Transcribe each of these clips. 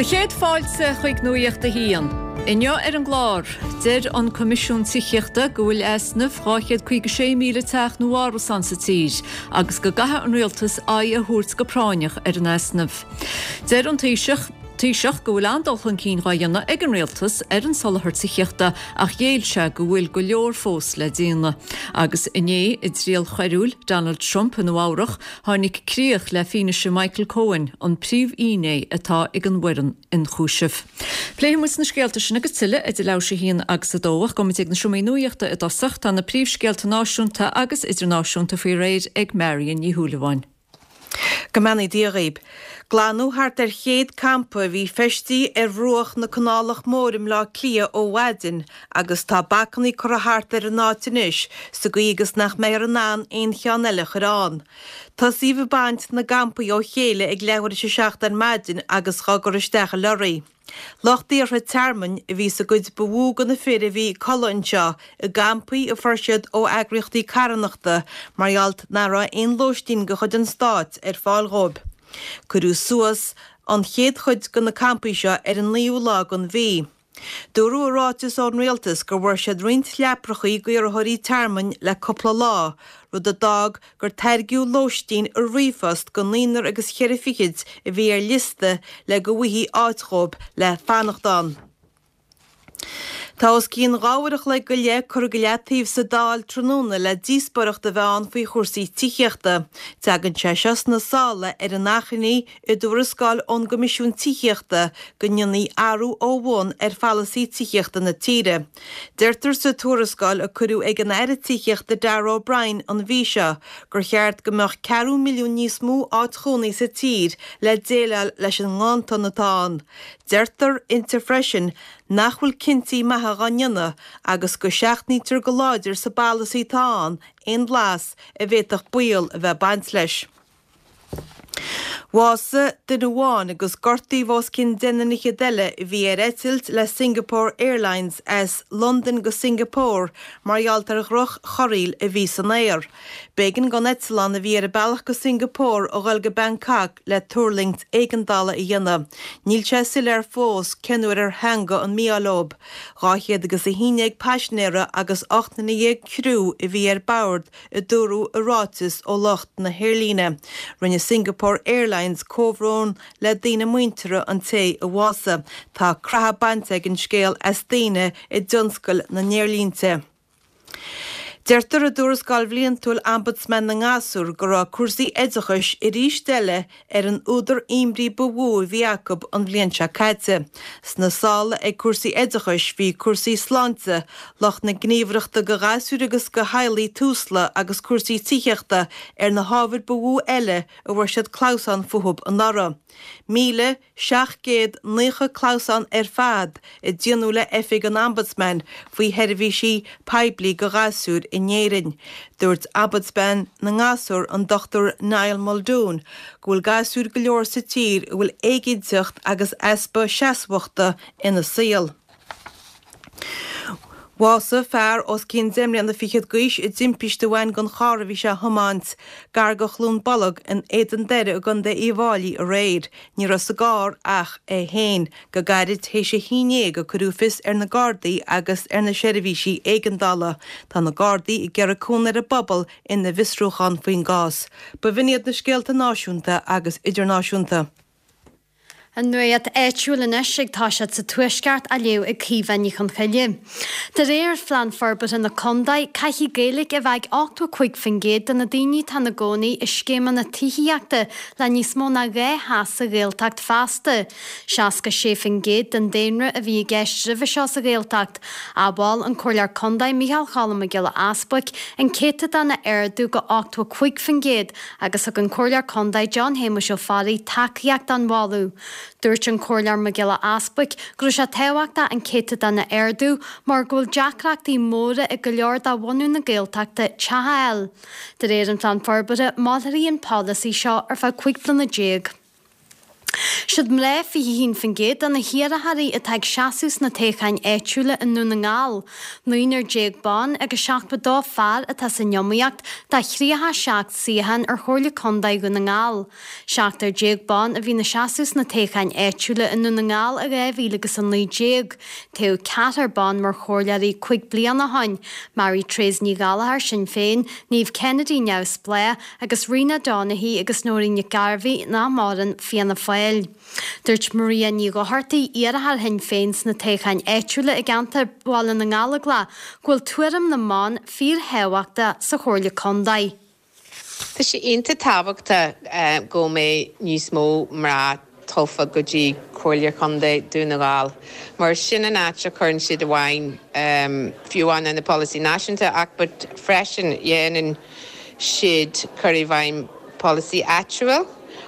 Do chéad fáilte chuig Nuacht a hAon. Inniu ar an gclár, deir an Coimisiún Tithíochta go bhfuil easnamh 256,000 teach nó árasán sa tír agus go gcaithfidh an Rialtas aghaidh a thabhairt go práinneach ar an easnamh. Deir an Taoiseach Taoiseach go bhfuil an-dul chun cinn dhá dhéanamh ag an Rialtas ar an soláthar tithíochta ach ghéill sé go bhfuil go leor fós le déanamh. Agus inné i dtriail choiriúil Donald Trump i Nua Eabhrach, tháinig críoch le fianaise Michael Cohen, an príomhfhinné atá ag an bhfoireann ionchúisimh. Pléifidh muid na scéalta sin agus tuilleadh idir leathuair tar éis a haon agus a dó ach gabhfaidh muid ag na seomraí nuachta i dtosach. Tá na príomhscéalta náisiúnta agus idirnáisiúnta faoi réir ag Marion Ní Shúilleabháin. Go mbeannaí Dia dhaoib. Glanadh thart ar chéad campa a bhí feistithe ar bhruach na Canálach Móire i mBleá Cliath ó mhaidin agus tá bacannaí curtha thart ar an áit anois sa gcaoi agus nach mbeifear in ann aon cheann eile a chur ann. Tosaíodh ag baint na gcampaí ó chéile ag leathuair tar éis a seacht ar maidin agus dhá gcur isteach i leoraí. Lucht iarrtha tearmainn a bhí sa gcuid ba mhó de na fir a bhí ag codladh anseo i gcampaí a fuair siad ó eagraíochtaí carthanachta mar gheall nach raibh aon lóistín de chuid an stáit ar fáil dhóibh. Cuireadh suas an chéad chuid de na campaí seo ar an naoú lá den mhí. Dúradh i ráiteas ón rialtas go bhfuair siad roinnt leaprachaí d'iarrthóirí tearmainn le cúpla lá, rud a d'fhág gur tairgeadh lóistín i ríomhphost go naonúr agus cheithre fichid a bhí ar liosta le go bhfaighfí áit dhóibh le fanacht ann. Tá os cionn dha uair a chloig go leith curtha go leataobh sa Dáil tráthnóna le díospóireacht a bheith ann faoi chúrsaí tithíochta. Tagann sé seo sna sála ar an achainí i dtuarascáil ón gCoimisiún Tithíochta go ndéanfaí athrú ó bhun ar pholasaí tithíochta na tíre. Deirtear sa tuarascáil a cuireadh ag an Aire Tithíochta Darragh O'Brien an mhí seo gur cheart go mbeadh ceathrú milliún níos mó áit chónaí sa tír le déileáil leis an nganntan atá ann. Deirtear inti freisin nach bhfuil cinntí maithe dhá ndéanamh agus go seachnaítear go láidir sa bpolasaí atá ann aon bhlas a bhféadfadh baol a bheith ag baint leis. Bhásaigh duine amháin agus gortaíodh os cionn deich nduine fhichead eile a bhí ar eitilt le Singapore Airlines as Londain go Singapore mar gheall ar dhroch-chorraíl a bhí san aer. B'éigean don eitleán a bhí ar a bealach go Singapore a dhul go Bangkok le tuirlingt éigeandála a dhéanamh. Níl sé soiléir fós cén uair ar theangaigh an mí-ádh leob. 211 paisinéara agus 18 nduine criú a bhí ar bord a dúradh i ráiteas ó lucht na haerlíne. Rinne Singapore Airlines comhbhrón le daoine muinteartha an té a bhásaigh. Tá creathadh bainte ag an scéal as daoine i dtionscal na n-aerlínte. Deirtear i dtuarascáil bhliantúil Ombudsman na nGasúr go raibh cúrsaí oideachais arís eile ar an údar imní ba mhó a bhí acu an bhliain seo caite. Sna sála ag cúrsaí oideachais bhí cúrsaí sláinte, lucht na gníomhaireachta go ghasúir agus go theaghlaigh Tusla agus cúrsaí tithíochta ar na hábhair ba mhó eile a bhfuair siad clamhsán fúthub anuraidh. 1,790 clamhsán ar fad a déanadh le Oifig an Ombudsman faoi sheirbhísí poiblí go ghasúir in Éirinn. Dúirt Ombudsman na nGasúr, an Dr Niall Muldoon, go bhfuil gasúir go leor sa tír a bhfuil éiginnteacht agus easpa seasmhachta ina saol. Bhásaigh fear os cionn deich mbliana fichead d'aois i dtimpiste a bhain den charr a bhí sé a thiomáint gar go Chluain Bolg in Éadan Doire i gContae Uíbh Fháilí aréir. Ní raibh sa gcarr ach é féin. Go gairid théis a haon dhéag a cuireadh fios ar na Gardaí agus ar na seirbhísí éigeandála. Tá na Gardaí ag iarraidh cúnamh ar an bpobal ina bhfiosrúchán faoin gcás. B'in iad na scéalta náisiúnta agus idirnáisiúnta. An nuacht áitiúil anois ag toiseacht sa Tuaisceart á léamh ag Caoimhe Ní Chonchoille. De réir Phlean Forbartha na Condae, caithfidh Gaeilge a bheith ag 85% de na daoine atá ina gcónaí i scéimeanna tithíochta le níos mó ná 2 theach sa Ghaeltacht feasta. 66% den daonra a bhí i gceist roimhe seo sa Ghaeltacht. Mhol an Comhairleoir Condae Micheál Cholm Mac Giolla Easbuic an céatadán a ardú go 85% agus thug an Comhairleoir Condae John Shéamuis Ó Fearraigh tacaíocht don mholadh. Dúirt an Comhairleoir Mac Giolla Easbuic go raibh sé tábhachtach an céatadán a ardú mar go bhfuil deacrachtaí móra ag go leor de bhunadh na Gaeltachta teach a fháil. De réir an Phlean Forbartha, mairfidh an polasaí seo ar feadh 15 bliana. Siad mná 21% de na hiarrthóirí atá ag seasamh sna toghcháin áitiúla i nDún na nGall. 19 ban agus 72 fear atá san iomaíocht do 37 suíochán ar Chomhairle Contae Dhún na nGall. 17 ban a bhí ina seasamh sna toghcháin áitiúla i nDún na nGall i 2019. Toghadh ceathrar ban mar chomhairleoirí 5 bliana ó shin, Mary Therese Ní Ghallchóir, Sinn Féin, Niamh Kennedy, Neamhspleách, agus Rena Donaghey agus Nóirín Nic Gairbheith, nach maireann, Fianna Fáil. Dúirt Maria Ní Dhochartaigh, iarrthóir Shinn Féin sna toghcháin áitiúla i gceantar Bhaile na nGallóglach, go bhfuil tuairim na mban fíorthábhachtach sa Chomhairle Contae. Tá sé iontach tábhachtach go mbeidh níos mó mná tofa go dtí Comhairle Chontae Dún na nGall mar sin an áit a chuireann siad i bhfeidhm fiú amháin na polasaí náisiúnta ach but freisin dhéanann siad cur i bhfeidhm polasaí áitiúil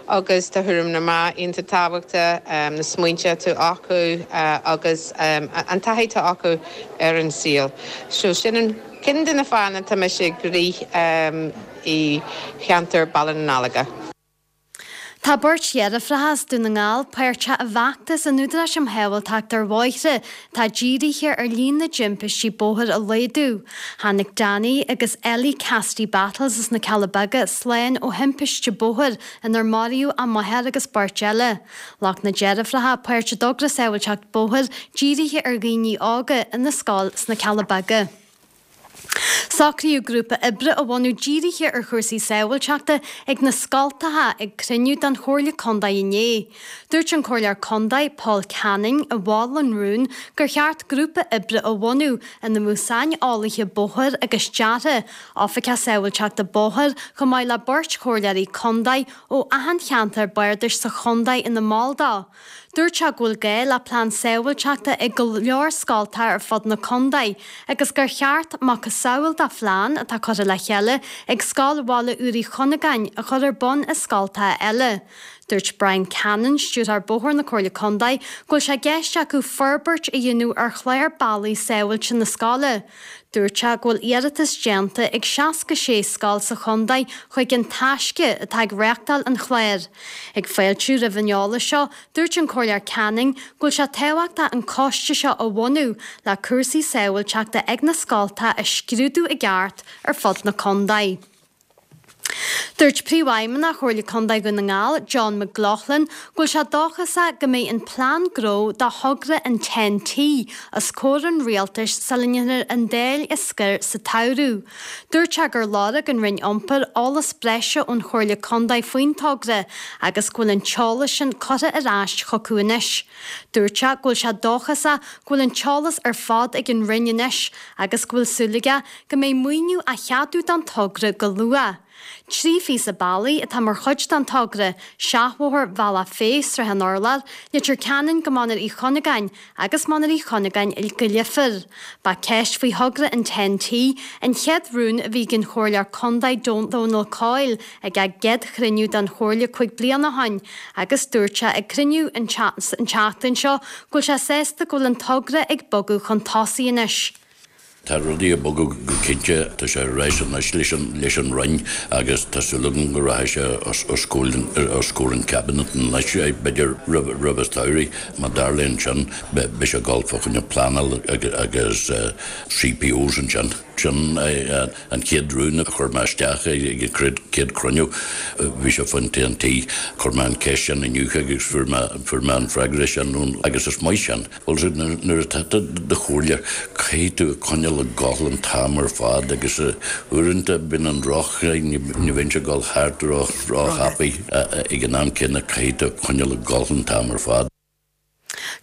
agus tá thuairim na mná iontach tábhachtach, na smaointe atá acu agus an taithí atá acu ar an saol. So sin an ceann de na fáthanna tá mise ag rith i cheantar Baile na nGallóglach. Tá beirt dheirfiúracha as Dún na nGall páirteach i bhfeachtas an Údaráis um Shábháilteacht ar Bhóithre atá dírithe ar líon na dtimpistí bóthair a laghdú. Tháinig Danny agus Ellie Cassidy Battles as na Cealla Beaga slán ó thimpiste bóthair inar maraíodh a máthair agus beirt eile. Ghlac na deirfiúracha páirt i dtogra sábháilteacht bóthair dírithe ar dhaoine óga ina scoil sna Cealla Beaga. Socraíodh grúpa oibre a bhunú dírithe ar chúrsaí sábháilteachta ag na scoltacha ag cruinniú den Chomhairle Contae inné. Dúirt an Comhairleoir Contae, Paul Canning, a mhol an rún, gur cheart grúpa oibre a bhunú ina mbeadh saineolaithe bóthair agus deartha, oifigeach sábháilteachta bóthair chomh maith le beirt chomhairleoirí contae ó achan cheantar bardais sa chontae ina mball dó. Dúirt sé go bhfuil gá le plean sábháilteachta ag go leor scoltacha ar fud na contae agus gur cheart macasamhail de phlean atá curtha le chéile ag Scoil Bhaile Úr Uí Chunagáin a chur ar bun i scoltacha eile. Dúirt Brian Cannon, Stiúrthóir Bóthair na Comhairle Contae, go bhfuil sé i gceist acu forbairt a dhéanamh ar chlár bealaí sábháilte na scoile. Dúirt sé go bhfuil iarratas déanta ag 66 scoil sa chontae chuig An Taisce atá ag reáchtáil an chláir. Ag fáiltiú roimh an eolas seo, dúirt an Comhairleoir Canning go bhfuil sé tábhachtach an coiste seo a bhunú le cúrsaí sábháilteachta ag na scoltacha a scrúdú i gceart ar fud na contae. Dúirt Príomhfheidhmeannach Chomhairle Contae Dhún na nGall, John McLaughlin, go bhfuil sé dóchasach go mbeidh an plean gnó do thogra an Ten-T os comhair an rialtais sula ndéanfar an Dáil a scor sa tsamhradh. Dúirt sé gur lorg an Roinn Iompair eolas breise ón Chomhairle Contae faoin togra agus go bhfuil an t-eolas sin curtha ar ais chucu anois. Dúirt sé go bhfuil sé dóchasach go bhfuil an t-eolas ar fad ag an Roinn anois agus go bhfuil súil aige go mbeidh maoiniú á cheadú don togra go luath. 3 phíosa bealaigh atá mar chuid den togra, seachbhóthar Bhealach Féich, Srath an Urláir, Leitir Ceanainn go Mainéar Uí Chunagáin agus Mainéar Uí Chunagáin go Leifear. Ba ceist faoi thogra an Ten-T an chéad rún a bhí ag an Chomhairleoir Contae Dónal Coyle ag a gcéad chruinniú den Chomhairle 5 bliana ó shin agus dúirt sé ag cruinniú an tseachtain seo go bhfuil sé sásta go bhfuil an togra ag bogadh chun tosaigh anois. Tá rudaí ag bogadh go cinnte, tá sé ar ais anois leis an leis an Roinn agus tá súil agam go rachaidh sé os os comhair an Cabinet anois, b'fhéidir roimh roimh an samhradh. Má tharlaíonn sin, beidh sé ag dul fá choinne pleanáil agus CPOs ansin. Sin an chéad rún a chuir mé isteach ag an chéad chruinniú, bhí sé faoin Ten-T. Chuir mé an cheist sin inniu agus fuair mé fuair mé an freagra sin agus is maith sin. Bhuel, nuair atá tú i do chomhairleoir, caithfidh tú coinneáil ag gabháil an t-am ar fad agus uaireanta bíonn an roth, ní bhíonn sé ag dul thart ró-thapaidh. Ag an am céanna caithfidh tú coinneáil ag gabháil an t-am ar fad.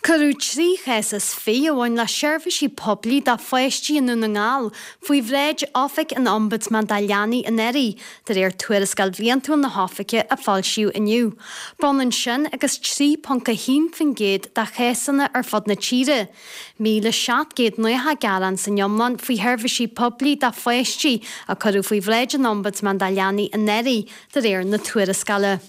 Cuireadh 3 chás is 20 a bhain le seirbhísí poiblí do pháistí i nDún na nGall faoi bhráid Oifig an Ombudsman do Leanaí anuraidh, de réir tuarascáil bhliantúil na hoifige a foilsíodh inniu. B'ionann sin agus 3.1% de chásanna ar fud na tíre. 1,790 gearán san iomlán faoi sheirbhísí poiblí do pháistí a cuireadh faoi bhráid an Ombudsman do Leanaí anuraidh, de réir na tuarascála.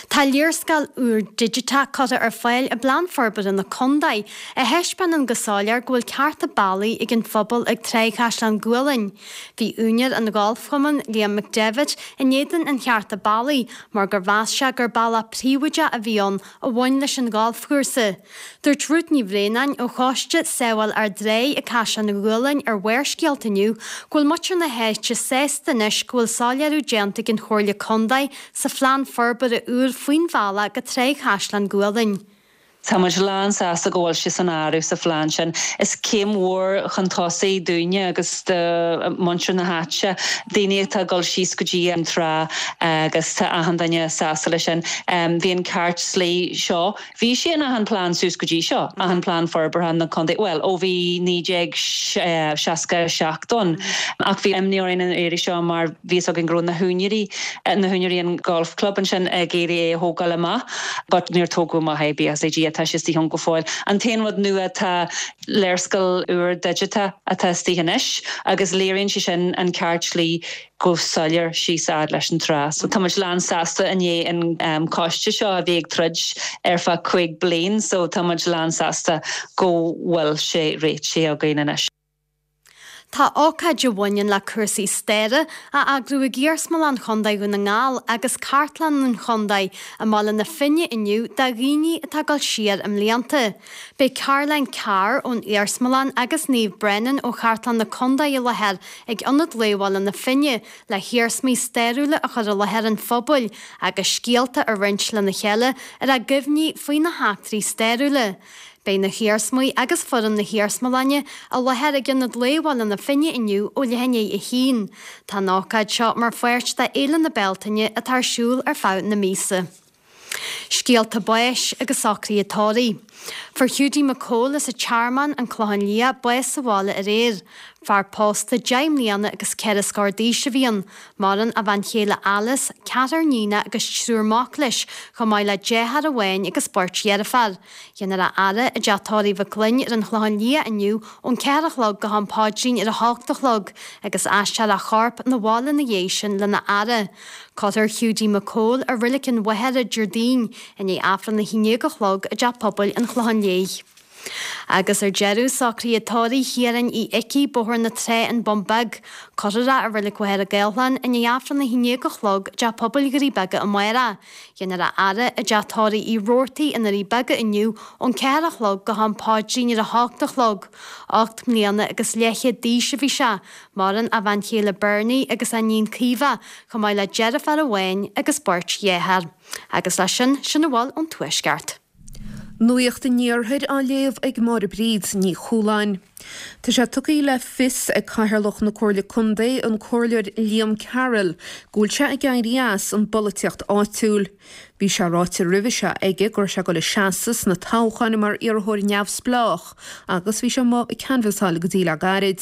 Tá léarscáil úr digiteach curtha ar fáil i bPlean Forbartha na Condae a thaispeánann go soiléir go bhfuil cearta bealaigh ag an phobal ag Tráigh Chaisleán Gualainn. Bhí úinéir an gholfchumainn, Liam McDevitt, in éadan an chearta bealaigh mar gur mheas sé gur bealach príobháideach a bhí ann a bhain leis an ghalfchúrsa. Dúirt Ruth Ní Bhraonáin ó choiste Sábháil ár dTráigh ag Caisleán Ghualainn ar Bharrscéalta inniu go bhfuil muintir na háite sásta anois go bhfuil soiléiriú déanta ag an Chomhairle Contae sa phlean forbartha úr faoin bhealach go Tráigh Chaisleán Gualainn. Tá muid lán sásta go bhfuil sé san áireamh sa phlean sin. Is céim mhór chun tosaigh dúinne agus do mhuintir na háite, daoine atá ag dul síos go dtí an trá agus tá achan duine sásta leis sin. Bhí an ceart slí seo Bhí sé in achan plean suas go dtí seo, achan plean forbartha na contae, bhuel, ó bhí 1967 ann. Ach bhí imní orainn an iarraidh seo mar bhí fhios againn go raibh na húinéirí, na húinéirí an golf club ansin ag iarraidh é a thógáil amach but níor tógadh amach é, buíochas le Dia, tá sé istigh ann go fóill. An t-aon rud nua tá léarscáil úr digiteach atá istigh anois agus léiríonn sé sin an ceart slí go soiléir síos a fhad leis an trá. So tá muid lán sásta i ndiaidh an coiste seo a bhí ag troid ar feadh 5 bliain so tá muid lán sásta go bhfuil sé réitithe againn anois. Tá ócáid a bhaineann le cúrsaí staire á eagrú ag Iarsmalann Chontae Dhún na nGall agus Cartlann an Chontae i mBaile na Finne inniu do dhaoine atá ag dul siar i mblianta. Beidh Caroline Carr ón Iarsmalann agus Niamh Brennan ó Chartlann na Contae i láthair ag Ionad Lae Bhaile na Finne le hiarsmaí stairiúla a chur i láthair an phobail agus scéalta a roinnt lena chéile ar a gcuimhní faoi na heachtraí stairiúla. Beidh na hiarsmaí agus foireann na hiarsmalainne i láthair ag Ionad Lae Bhaile na Finne inniu ó leath i ndiaidh a haon. Tá an ócáid seo mar pháirt de Fhéile na Bealtaine atá ar siúl ar feadh na míosa. Scéalta báis agus socruithe tórraimh. Fuair Hiúdaí Mac Cóil as an Tearmann, An Clochán Liath, bás sa bhaile aréir. Fear pósta 10 mbliana agus 4 scór d'aois a bhí ann. Maireann a bhean chéile Alice, ceathrar níonach agus triúr mac leis, chomh maith le deartháir amháin agus beirt dheirféar. Dhéanfar a fhaire i dteach tórraimh Mhic Fhloinn ar an Chlochán Liath inniu ón 4 a chlog go ham paidrín ar a hocht a chlog agus aistreofar a chorp 'na bhaile ina dhiaidh sin lena fhaire. Cuirfear Hiúdaí Mac Cóil i Reilig an Mhachaire Déardaoin i ndiaidh Aifreann 11 a chlog i dTeach Pobail an Chlocháin Léith. Agus ar deireadh, socruithe tórraimh Chiaráin Uí Icí, Bóthar na Trá, An Bun Beag. Cuirfear é i Reilig Mhachaire Gathlán i ndiaidh Aifreann 11 a chlog i dTeach Pobail Dhoirí Beaga amárach. Dhéanfar a fhaire i dTeach Tórraimh Uí Robhartaigh i nDoirí Beaga inniu ón 4 a chlog go ham paidrín ar a hocht a chlog. 8 mbliana agus leathchéad d'aois a bhí sé. Maireann a bhean chéile Bernie agus a iníon Caoimhe, chomh maith le deirfiúr amháin agus beirt dhearthár. Agus leis sin, sin a bhfuil ón Tuaisceart. Nuacht an Iarthair á léamh ag Máire Bríd Ní Chualáin. Tá sé tugtha le fios ag Cathaoirleach na Comhairle Contae, an Comhairleoir Liam Carroll, go bhfuil sé ag éirí as an bpolaitíocht áitiúil. Bhí sé ráite roimhe seo aige go raibh sé ag dul ag seasamh sna toghcháin mar iarrthóir neamhspleách agus bhí sé amuigh ag canbhasáil go dtí le gairid.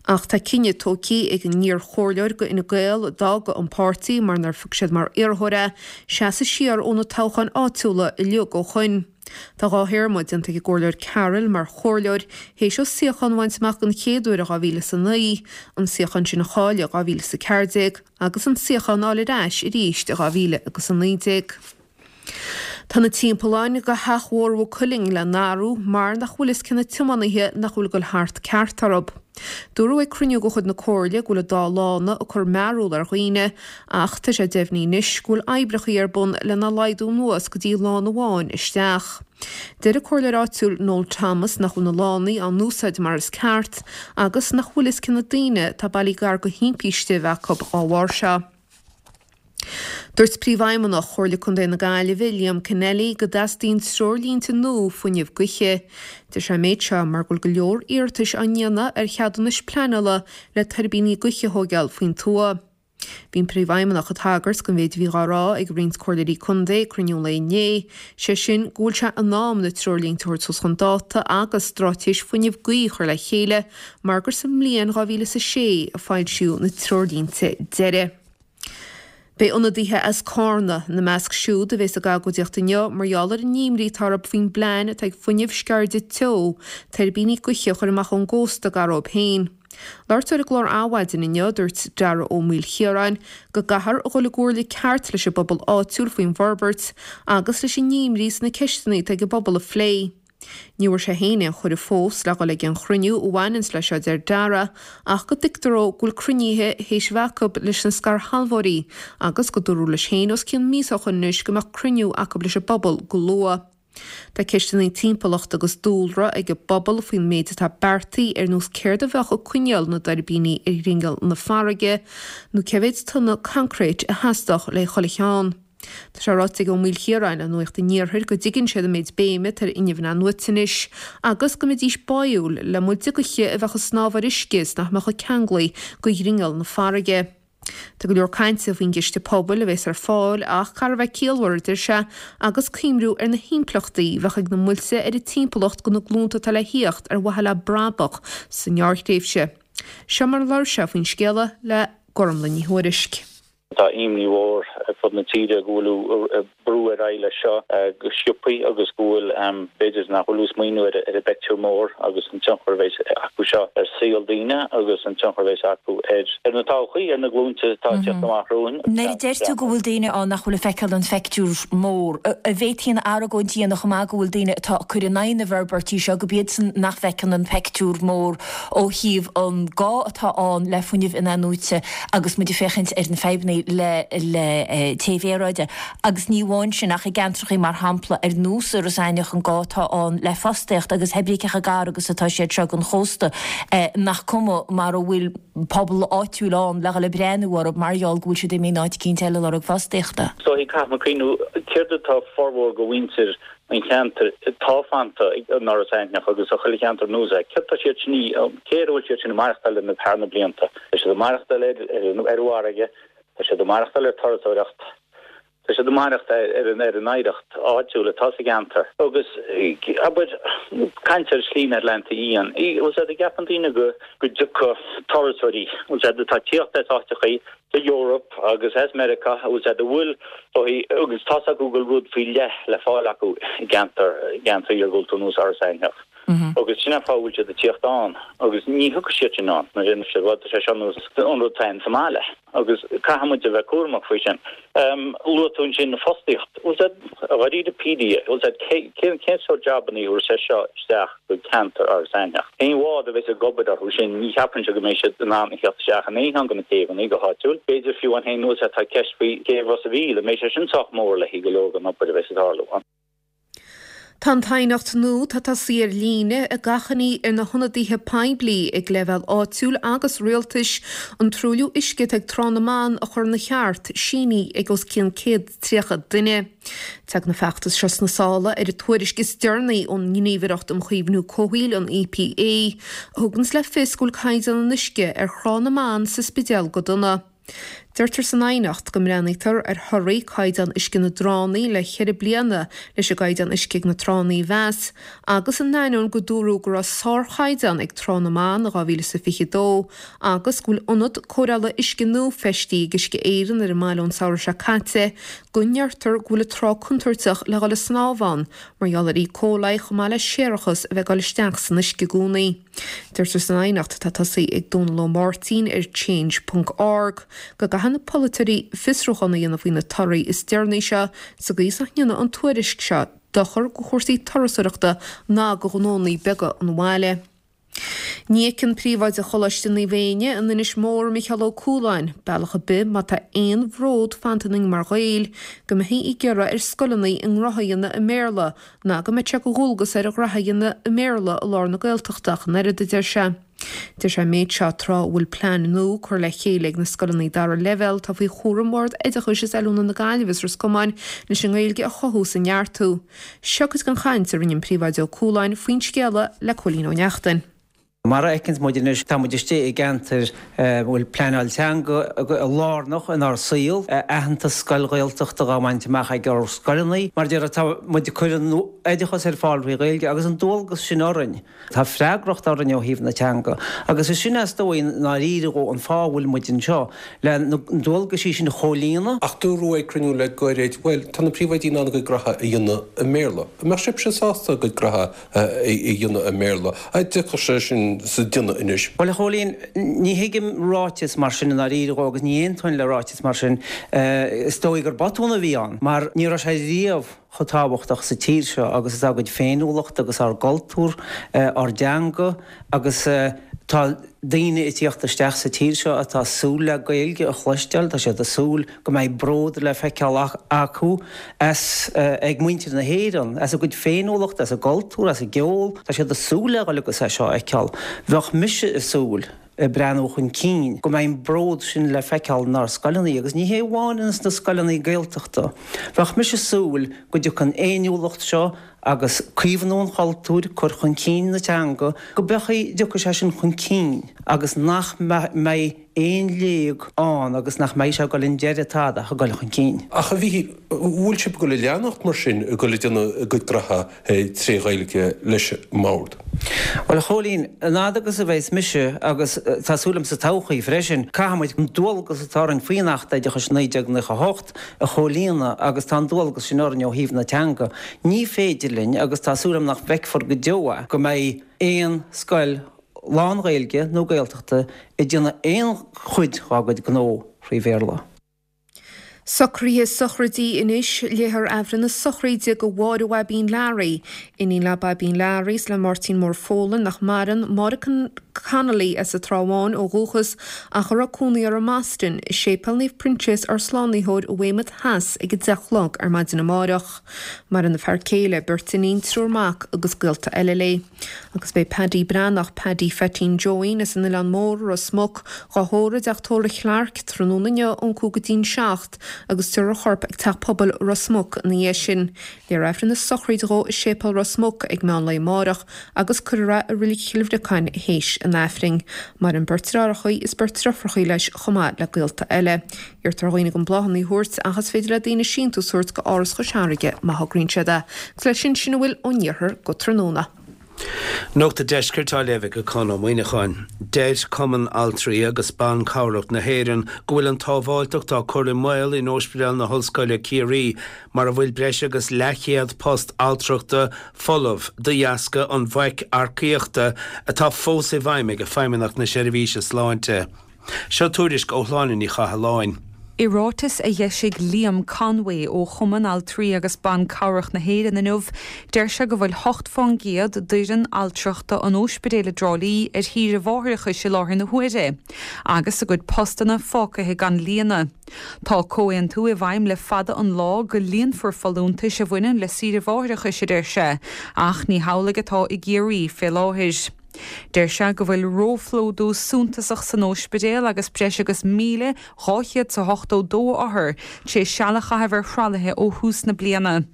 Ach tá cinneadh tógtha ag an iar-chomhairleoir do Fhine Gael, a d'fhág an páirtí mar nár phioc siad mar iarrthóir é, seasamh siar ó na toghcháin áitiúla uilig ó shoin. Tá dhá théarma déanta ag an gComhairleoir Carroll mar chomhairleoir, théis dó suíochán a bhaint amach den chéad uair in 2009, an suíochán sin a chailleadh in 2014 agus an suíochán a fháil ar ais arís in 2019. Tá na timpealláin do theach Mhór Mhaigh Cuilinn le n-athrú mar nach bhfuil fhios cé na tiománaithe nach bhfuil ag dul thart ceart orthu. Dúradh ag cruinniú de chuid na Comhairle go bhfuil an dá lána ag cur mearbhall ar dhaoine ach tá sé deimhnithe anois go bhfuil oibreacha ar bun lena laghdú anuas go dtí lána amháin isteach. Deir an comhairleoir áitiúil Noel Thomas nach bhfuil na lánaí á n-úsáid mar is ceart agus nach bhfuil fhios cé na daoine atá bailithe gar do thimpiste a bheith acu dá bharr seo. Dúirt Príomhfheidhmeannach Chomhairle Contae na Gaillimhe, Liam Kennelly, go dteastaíonn treoirlínte nua fuinnimh gaoithe. Deir sé an méid seo mar go bhfuil go leor iarratais á ndéanamh ar cheadúnais pleanála le tuirbíní gaoithe a thóigeáil faoin tuath. Bhí an Príomhfheidhmeannach ag tagairt don mhéid a bhí dhá rá ag roinnt comhairleoirí contae ag cruinniú an lae inné, sé sin go bhfuil sé in am na treoirlínte a thabhairt suas chun dáta agus straitéis fuinnimh gaoithe a chur le chéile mar gur sa mbliain 2006 a foilsíodh na treoirlínte deiridh. Beidh ionadaithe as Cárna ina measc siúd a bheas ag agóidíocht inniu mar gheall ar an imní atá orthu faoin bplean atá ag Fuinneamh Sceirde Teo tuirbíní gaoithe a chur amach ón gcósta gar dóibh féin. Labhairt ar an gclár Adhmhaidin inniu, dúirt Dara Ó Maoilchiaráin go gcaithfear a dhul i gcomhairle ceart leis an bpobal áitiúil faoin bhforbairt agus leis an imní is na ceisteanna atá ag an bpobal a phlé. Ní bhfuair sé féin aon chuireadh fós le dhul ag aon chruinniú a bhaineanns leis seo a deir Dara ach go dtuigtear dó go bhfuil cruinnithe théis bheith acu leis na scairshealbhóirí agus go dúradh leis féin os cionn míosa ó shoin anois go mbeadh cruinniú acu leis an bpobal go luath. Tá ceisteanna timpeallachta agus dúlra ag an bpobal faoin méid atá beartaithe ar nós céard a bheadh ag coinneáil na dtuirbíní ar ghrinneall na farraige nó cé mhéid tonna coincréit a theastódh le chuile cheann. Tá sé ráite ag Ó Maoilchiaráin le Nuacht an Iarthair go dtuigeann siad an méid béime atá ar fhuinneamh inathnuaite anois agus go mbeidís báúil le muilte gaoithe a bheadh ag snámh ar uisce is nach mbeadh ceanglaithe go ghrinneall na farraige. Tá go leor cainte faoin gciste pobail a bheas ar fáil ach caithfear a bheith ciallmhar, a deir sé, agus cuimhniú ar na himpleachtaí a bheadh ag na muilte ar an timpeallacht do na glúnta atá le thíocht ar mhaithe le brabach sa ngearrthréimhse. Seo mar a labhair sé faoin scéala le Gormlaith Ní Thuairisg. Tá imní mhór ar fud na tíre go bhfuil ag brú ar aghaidh leis seo go sciobthaí agus go bhfuil, b'fhéidir, nach bhfuil ag smaoineamh ar an bpeictiúr mór agus an tionchar a bheas acu seo ar saol daoine agus an tionchar a bheas acu ar na todhchaí, ar na glúinte atá ag teacht amach romhainn. Nuair a deir tú go bhfuil daoine ann nach bhfuil ag feiceáil an phictiúr mór, an bhféadfaí an argóint a dhéanamh chomh maith go bhfuil daoine atá ag cur in aghaidh na bhforbairtí seo, gurb iadsan nach bhfeiceann an peictiúr mór ó thaobh an gá atá ann le fuinneamh inathnuaite agus muid ag féachaint ar na fadhbanna le le téamh aeráide agus ní amháin sin ach i gceantrachaí mar shampla ar nós Iorras Aithneach an gá atá ann le fostaíocht agus pé ar bith cé chomh gar agus atá siad seo don chósta nach cuma mara bhfuil pobal áitiúil ann le dhul ag breathnú orthu mar gheall go bhfuil siad imithe in áit eicínt eile ag lorg fostaíochta. Is dóichí caithfidh muid cuimhniú céard atá formhór de mhuintir an cheantair atá fanta in Iorras Aithneach agus sa chuile cheantar anuas air. Céard tá siad sin, cé air a bhfuil siad sin ag maireachtáil le thar na blianta? Tá siad ag maireachtáil ar an bhfarraige, tá siad ag maireachtáil ar turasóireacht, tá siad ag maireachtáil ar an ar an oidhreacht áitiúil atá sa gceantar. Agus, abair, caint ar Shlí na hAtlantach Fhiáin, bhfuil sé, an gceapann daoine go go dtiocfadh turasóirí, bhfuil sé, atá ag tíocht as áiteachaí sa Eoraip agus as Meiriceá, bhfuil sé, a bhfuil agus tá's acu go bhfuil rud faoi leith le fáil acu i gceantar, i gceantar iargúlta ar nós Iorras Aithneach. Agus sin an fáth a bhfuil siad ag tíocht ann agus ní thiocfaidh siad sin ann mar sin bhuel tá sé seo nós an rud atá ann sa mbaile agus caithfidh muid a bheith cúramach faoi sin. Luaigh tú ansin fostaíocht, bhfuil sé, dháiríre píre, bhfuil sé, cén cén sórt jabanna a thabharfas sé seo isteach go ceantar Iorras Aithneach. Cén bhád a bheas ag obair orthu sin? Ní cheapfainnse go mbeidh siad in ann a theacht isteach in aon cheann de na céibheanna go háitiúil. B'fhéidir fiú amháin féin bhfuil sé, tá ceist faoi chéibh Ros a' Mhíl, an mbeidh sé sin sách mór le haghaidh go leor den obair a bheas ag tarlú ann? Tá an t-aighneacht nua atá tosaithe ar líne ag achainí ar na hionadaithe poiblí ag leibhéal áitiúil agus rialtais an truailliú uisce atá ag Trá na mBan a chur ina cheart, sínithe ag os cionn 130 duine. Tagann an feachtas seo sna sála ar an tuairisc is deireanaí ón nGníomhaireacht um Chaomhnú Comhshaoil, an EPA, a thuganns le fios go bhfuil caighdeán an uisce ar Thrá na mBan sa Spidéal go dona. Deirtear san aighneacht go mbreathnaítear ar thorthaí caighdeán uisce na dtránna le ceithre bliana leis an gcaighdeán uisce ag na tránna a mheas agus in ainneoin go dúradh go raibh sárchaighdeán ag Trá na mBan in 2022 agus go bhfuil ionad cóireála uisce nua feistithe ag Uisce Éireann ar an mbaile ón samhradh seo caite go ndeirtear go bhfuil an trá contúirteach le dhul ag snámh ann mar gheall ar E. coli chomh maith le séarachas a bheith ag dul isteach san uisce i gcónaí. Deirtear san aighneacht atá tosaithe ag Dónal Ó Máirtín ar Change ponc org go gcaithfidh na polaiteoirí fiosrúchán a dhéanamh faoi na torthaí is deireanaí seo sa gcaoi is nach ndéanfaidh an tuairisc seo dochar do chúrsaí turasóireachta ná do ghnónnaí beaga an bhaile. Ní fheiceann Príomhoide Choláiste Naomh Éinne in Inis Mór, Micheál Ó Cualáin, bealach ar bith má tá aon bhród fanta ionainn mar Ghaeil, go mbeifí ag iarraidh ar scoileanna a ngraithe a dhéanamh i mBéarla ná go mbeadh sé de dhualgas air a ghraithe a dhéanamh i mBéarla i lár na Gaeltachta ach an oiread, a deir sé. Deir sé an méid seo tráth a bhfuil plean nua curtha le chéile ag na scoileanna dara leibhéal atá faoi chúram Bhord Oideachais is Oiliúna na Gaillimhe is Ros Comáin leis an nGaeilge a chothú is a neartú. Seo cuid den chaint a rinne an Príomhoide Ó Cualáin faoin scéala le Cóilín Ó Neachtain. Mar a fheiceanns muid anois, tá muid istigh i gceantair a bhfuil pleanáil teanga lárnach inár saol, aitheantas scoil Ghaeltachta dhá bhaint amach ag ár scoileanna. Mar a déarfá, tá muid ag cur an oideachas ar fáil thrí Ghaeilge agus an dualgas sin orainn. Tá freagracht orainn ó thaobh na teanga agus is sin is dóigh i ndáiríre an fáth a bhfuil muid anseo, le na dualgaisí sin a chomhlíonadh. Ach dúradh ag cruinniú le gairid, bhuel, tá na príomhoidí in ann a gcuid graithe a dhéanamh i mBéarla. An mbeadh sibhse sásta a gcuid graithe a dhéanamh i mBéarla. An dtiocfadh sé sin. sin sa déanamh anois. Bhuel, a Chóilín, ní thuigim ráiteas mar sin i ndáiríre dhó agus ní aontóinn le ráiteas mar sin. Is dóigh gur botún a bhí ann mar ní raibh sé riamh chomh tábhachtach sa tír seo agus atá ár gcuid féiniúlachta agus ár gcultúr, ár dteanga agus tá daoine ag tíocht isteach sa tír seo atá ag súil le Gaeilge a chloisteáil, tá siad ag súil go mbeidh bród le feiceáil acu as, ag muintir na hÉireann, as a gcuid féiniúlachta, as a gcultúr, as a gceol, tá siad ag súil le dhul agus é seo a fheiceáil. Bheadh mise ag súil, ag breathnú chun cinn, go mbeidh an bród sin le feiceáil inár scoileanna agus ní hé amháin ins na scoileanna Gaeltachta. Bheadh mise ag súil go dtiocfaidh an fhéiniúlacht seo agus caomhnú an chultúir, cur chun cinn na teanga, go mbeadh, dtiocfaidh sé sin chun cinn agus nach mbeidh aon léig ann agus nach mbeidh sé ag dul i ndeireadh tada ach ag dul chun cinn. Ach a Mhíchíl, bhfuil sibh ag dul a leanacht mar sin, ag dul ag déanamh a gcuid graithe tré Ghaeilge leis an mbord? Bhuel, a Chóilín, an fhad agus a bheas mise, agus tá súil agam sa todhchaí freisin, caithfidh muid an dualgas atá orainn faoin Acht Oideachais 1998 a chomhlíonadh agus tá an dualgas sin orainn ó thaobh na teanga. Ní féidir linn, agus tá súil agam nach bhfeicfear go deo é, go mbeidh aon scoil lán-Ghaeilge nó Gaeltachta ag déanamh aon chuid dhá gcuid gnó thrí Bhéarla. Socruithe sochraide anois, Léifear Aifreann na sochraide do Mháire Bhaibín Learaí, iníon le Baibín Learaí is le Máirtín Mór Folan, nach maireann, Máire Connolly as an Trá Bháin ó dhúchas ach a raibh cónaí uirthi i mBoston, i Séipéal Naomh Proinsias Ár Slánaitheoir i Weymouth Theas ag 10 a chlog ar maidin amárach. Maireann a fear céile, beirt iníon, triúr mac agus gaolta eile léi. Agus beidh Paddy Breathnach, Paddy Pheaitín Joeín as an Oileán Mór, Ros Muc, dhá thórramh i dteach tórraimh Chlarke tráthnóna inniu ón 5 go dtí'n 7 agus tabharfar a chorp ag Teach Pobail Ros Muc ina dhiaidh sin. Léifear Aifreann na sochraide dhó i Séipéal Ros Muc ag meán lae amárach agus cuirfear é i Reilig Chill Bhriocáin théis an Aifrinn. Maireann beirt deartháireacha is beirt deirfiúracha leis chomh maith le gaolta eile. Iarrtar ar dhaoine gan bláthanna a thabhairt ach is féidir le daoine síntiús a thabhairt go Áras Chois Fharraige má thograíonn siad é. Agus leis sin, sin a bhfuil ón iarthar go tráthnóna. Nuacht an Deiscirt á léamh ag Conn Ó Muíneacháin. Deir Cumann Altraí agus Ban Cabhrach na hÉireann go bhfuil an tsábháilteacht á cur i mbaol in Ospidéal na hOllscoile Ciarraí mar a bhfuil breis agus leathchéad post altrachta folamh de dheasca an bhaic earcaíochta atá fós i bhfeidhm ag Feidhmeannacht na Seirbhíse Sláinte. Seo tuairisc ó Shláine Ní Chathalláin. I ráiteas a dh'eisigh Liam Conway ó Chumann Altraí agus Ban Cabhrach na hÉireann inniu, deir sé go bhfuil 8 fán gcéad d'fhoireann altrachta an óispidéil i dTrá Lí ar shaoire mháithreachais i láthair na huaire agus a gcuid postanna fágtha gan líonadh. Tá comhaontú i bhfeidhm le fada an lá go líonfar folúntais a bhaineann le saoire mháithreachais, a deir sé, ach ní hamhlaidh atá i gCiarraí fé láthair. Deir sé go bhfuil róphlódú suntasach san óispidéal agus breis agus 1,282 othar tar éis seal a chaitheamh ar thralaithe ó thús na bliana.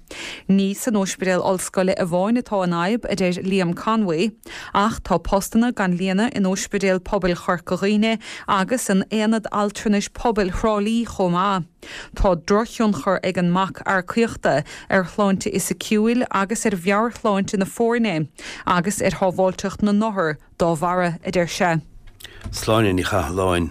Ní san óispidéal ollscoile amháin atá an fhadhb, a deir Liam Conway, ach tá postanna gan líonadh in Óispidéal Pobail Chorca Dhuibhne agus in Aonad Altranais Pobail Thrá Lí chomh maith. Tá drochthionchar ag an mbac earcaíochta ar shláinte fhisiciúil agus ar mheabhairshláinte na foirne agus ar shábháilteacht na n-othar dá bharra, a deir sé. Sláine Ní Chathalláin.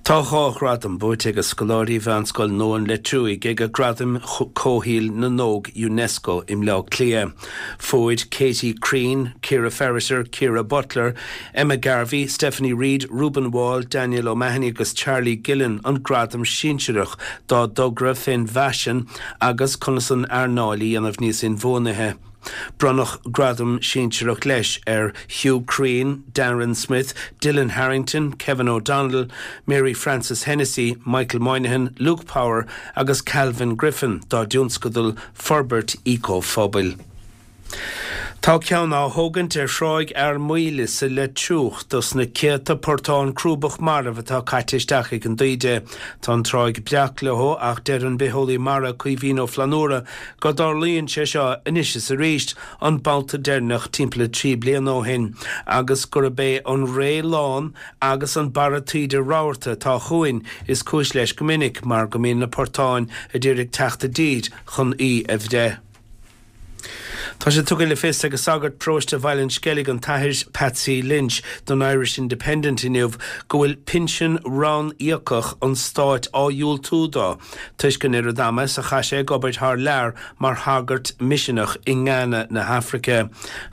Tá 2 ghradam buaite ag scoláirí Mheánscoil Nua an Leitriúigh ag Gradaim Comhshaoil na nÓg Unesco i mBleá Cliath. Fuair Katie Crean, Ciara Ferriter, Ciara Butler, Emma Garvey, Stephanie Reid, Reuben Wall, Daniel O'Mahony agus Charlie Gillen an gradam sinsearach dá dtogra fén bhfaisean agus conas an earnáil a dhéanamh níos inbhuanaithe. Bronnadh gradam sinsearach leis ar Hugh Crean, Darren Smith, Dylan Harrington, Kevin O'Donnell, Mary Frances Hennessy, Michael Moynihan, Luke Power agus Calvin Griffin dá dtionscadal Forbairt Éiceaphobail. Tá ceann á thógaint ar Thráigh Fhear Maoile sa Leitriúch dos na céadta portán crúbach marbh atá caite isteach ag an dtaoide. Tá an tráigh breac leo ach deir an bitheolaí mara Caoimhín Ó Flannúra go dtarlaíonn sé seo anois is arís, an babhta deireanach timpeall 3 bliana ó shin, agus gurb é an ré lán agus an barra taoide rabharta atá chugainn is cúis leis go minic mar go mbíonn na portáin a d'iarraidh teacht i dtír chun í a bhreith. Tá sé tugtha le fios ag sagart paróiste Bhaile an Sceilg, an tAthair Patsy Lynch, don Irish Independent inniu go bhfuil pinsean rann-íocach an stáit á dhiúltú dó toisc an oiread ama is a chaith sé ag obair thar lear mar shagart miseanach i nGána na hAfraice.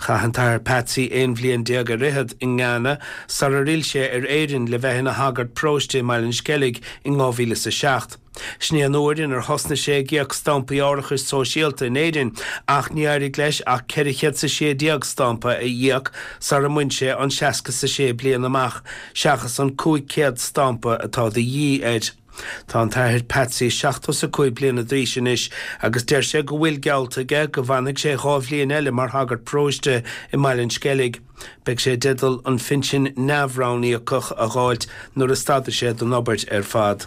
Chaith an tAthair Patsy 11 bhliain ar fhichead i nGána sarar fhill sé ar Éirinn le bheith ina shagart paróiste i mBaile an Sceilg in 2007. Sin é an uair inar thosnaigh sé ag íoc stampaí árachais sóisialta in Éirinn ach ní éirigh leis ach 416 stampa a íoc sarar bhain sé an 66 bliain amach, seachas an 500 stampa atá de dhíth air. Tá an tAthair Patsy 75 bliana d'aois anois agus deir sé go bhfuil geallta aige go bhfanfaidh sé 2 bhliain eile mar shagart paróiste i mBaile an Sceilg. Beidh sé i dteideal an phinsin neamh-ranníocach a dh'fháilt nuair a stadfaidh sé den obair ar fad.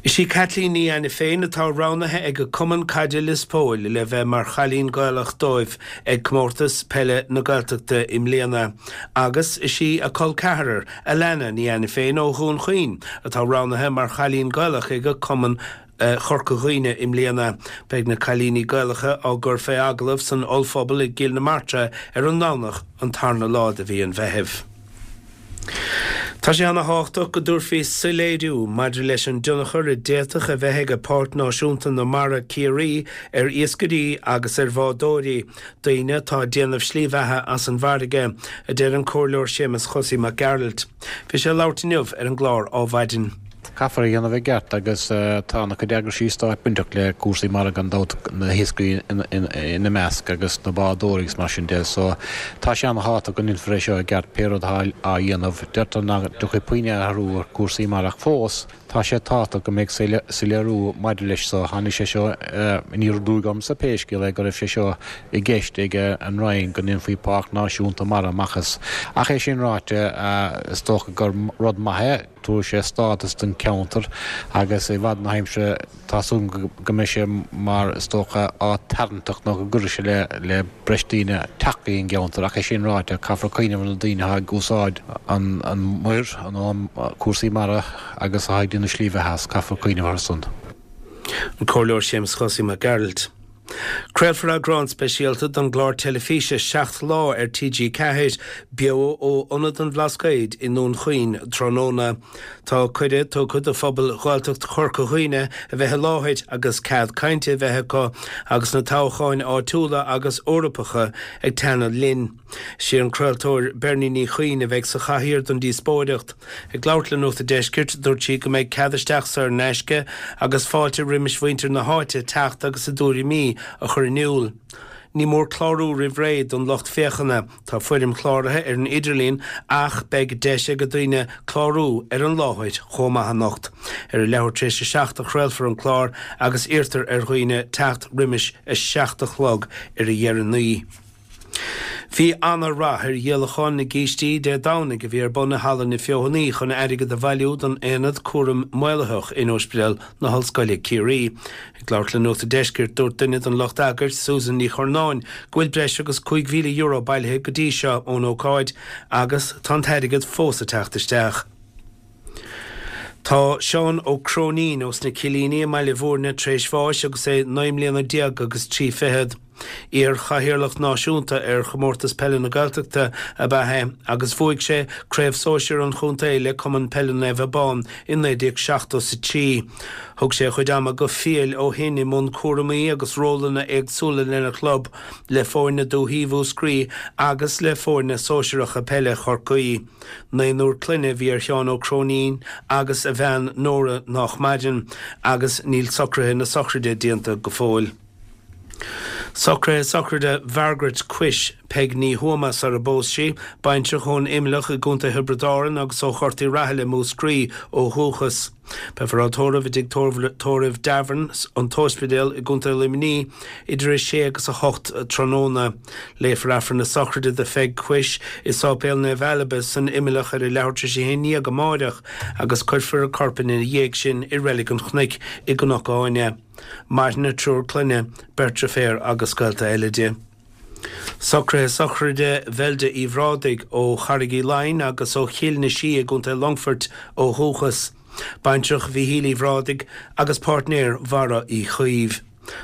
Is í Caitlín Ní Ainiféin atá roghnaithe ag Cumann Caide Lios Póil le bheith mar chailín Gaelach dóibh ag Comórtas Peile na Gaeltachta i mbliana agus is í a col ceathrar, Alana Ní Ainiféin ó Dhún Chaoin, atá roghnaithe mar chailín Gaelach ag Cumann Chorca Dhuibhne i mbliana. Beidh na cailíní Gaelacha á gcur fé agallamh san ollphuball i gCill na Martra ar an nDomhnach an tarna lá de mhí an Mheithimh. Tá sé ana thábhachtach go dtabharfaí soiléiriú maidir leis an dtionchar a d'fhéadfadh a bheith ag Páirc Náisiúnta na Mara Ciarraí ar iascairí agus ar bhádóirí, daoine atá ag déanamh slí bheatha as an bhfarraige, a deir an Comhairleoir Séamus Chosaí Mac Gearailt. Bhí sé ag labhairt inniu ar an gclár Ádhmhaidin. Caithfear é a dhéanamh i gceart agus tá ana chuid eagraisí stáit bainteach le cúrsaí mara gan dabht, na hiascairí ina measc agus na bádóirí agus mar sin de so tá sé ana thábhachtach go ndéanfar é seo i gceart pé rud atá á dhéanamh. Deirtear nach dtiocfaidh puinn athrú ar chúrsaí mara ach fós tá sé tábhachtach go mbeidh soiléiriú maidir leis so. Tháinig sé seo aniar aduaidh ormsa pé scéal é go raibh sé seo i gceist ag an Roinn go ndéanfaí Páirc Náisiúnta Mara amach as. Ach é sin ráite is dócha gur rud maith é. Tabharfaidh sé stádas don cheantar agus i bhfad na haimsire tá súil agam go mbeidh sé mar, is dócha, áit tarraingteach nó go gcuirfidh sé le breis daoine teacht go dtí an gceantar. Ach é sin ráite, caithfear cuimhneamh ar na daoine atá ag úsáid an mhuir, cúrsaí mara agus atá ag déanamh slí bheatha as, caithfear cuimhneamh orthu san. An Comhairleoir Séamus Chosaí Mac Gearailt. Craolfar eagrán speisialta den gclár teilifíse 7 Lá ar TG4, beo ó Ionad an Bhlascaoid i nDún Chaoin tráthnóna. Tá cuireadh tugtha do phobal Ghaeltacht Chorca Dhuibhne a bheith i láthair agus cead cainte a bheith acu agus na toghcháin áitiúla agus Eorpacha ag teannadh linn. Is í an craoltóir Bernie Ní Chuinn a bheidh sa chathaoir don díospóireacht. Ag labhairt le Nuacht an Deiscirt, dúirt sí go mbeidh cead isteach saor in aisce agus fáilte roimis mhuintir na háite teacht agus a dtuairimí a chur in iúl. Ní mór clárú roimh ré don lucht féachana. Tá foirm chláraithe ar an idirlíon ach beidh deis ag daoine clárú ar an láthair chomh maith anocht. Ar a leathuair tar éis a 7 a chraolfar an clár agus iarrtar ar dhaoine teacht roimis a 7 a chlog ar a dheireanaí. Bhí ana-rath ar dhíolachán na gcístí Dé Domhnaigh a bhí ar bun i Halla na Feothanaí chun airgead a bhailiú don Aonad Cúraim Maolaitheach in Ospidéal na hOllscoile Ciarraí. Ag labhairt le Nuacht an Deiscirt, dúirt duine den lucht eagair, Susan Ní Churnáin, go bhfuil breis agus €5,000 bailithe go dtí seo ón ócáid agus tá an t-airgead fós ag teacht isteach. Tá Seán Ó Cróinín ós na Cillíní i mBaile Bhúirne tar éis bháis agus é 19 mbliana agus 3 fichead. Iar-chathaoirleach náisiúnta ar Chomórtas Peile na Gaeltachta ab ea é agus bhuaigh sé Craobh Sóisir an Chontae le Cumann Peile Naomh Abán i 1973. Thug sé a chuid ama go fial ó shin i mbun cúramaí agus rólanna éagsúla lena chlub, le foirne Dúthaí Mhúscraí agus le foirne sóisearacha peile Chorcaí. Naonúr clainne a bhí ar Sheán Ó Cróinín agus a bhean Nóra nách maireann, agus níl socruithe na sochraide déanta go fóill. Socruithe sochraide Mhargaret Cuis, Peig Ní Thuama sar a bpós sí, baintreach ón Imleach i gContae Thiobraid Árann agus ó Ghort Uí Rathaille i Múscraí ó dhúchas. Beifear á tórramh i dTigh Tórraimh Davern, An tOspidéal i gContae Luimnigh idir 6 agus 8 tráthnóna. Léifear Aifreann na sochraide do Pheig Cuis i Sáipéal Naomh Ailbe san Imleach ar a leathuair tar éis a haon dhéag amáireach agus cuirfear a corp ina dhiaidh sin i Reilig an Chnoic i gCnoc Áine. Maraitheann a triúr clainne, beirt deirféar agus gaolta eile di. Socruithe sochraide Bheilde Uí Bhrádaigh ó Charraig Uí Leighin agus ó Chill na Sí i gContae Longfoirt ó dhúchas. Baintreach Mhíchíl Uí Bhrádaigh agus páirtnéir Bharra Uí Chaoimh.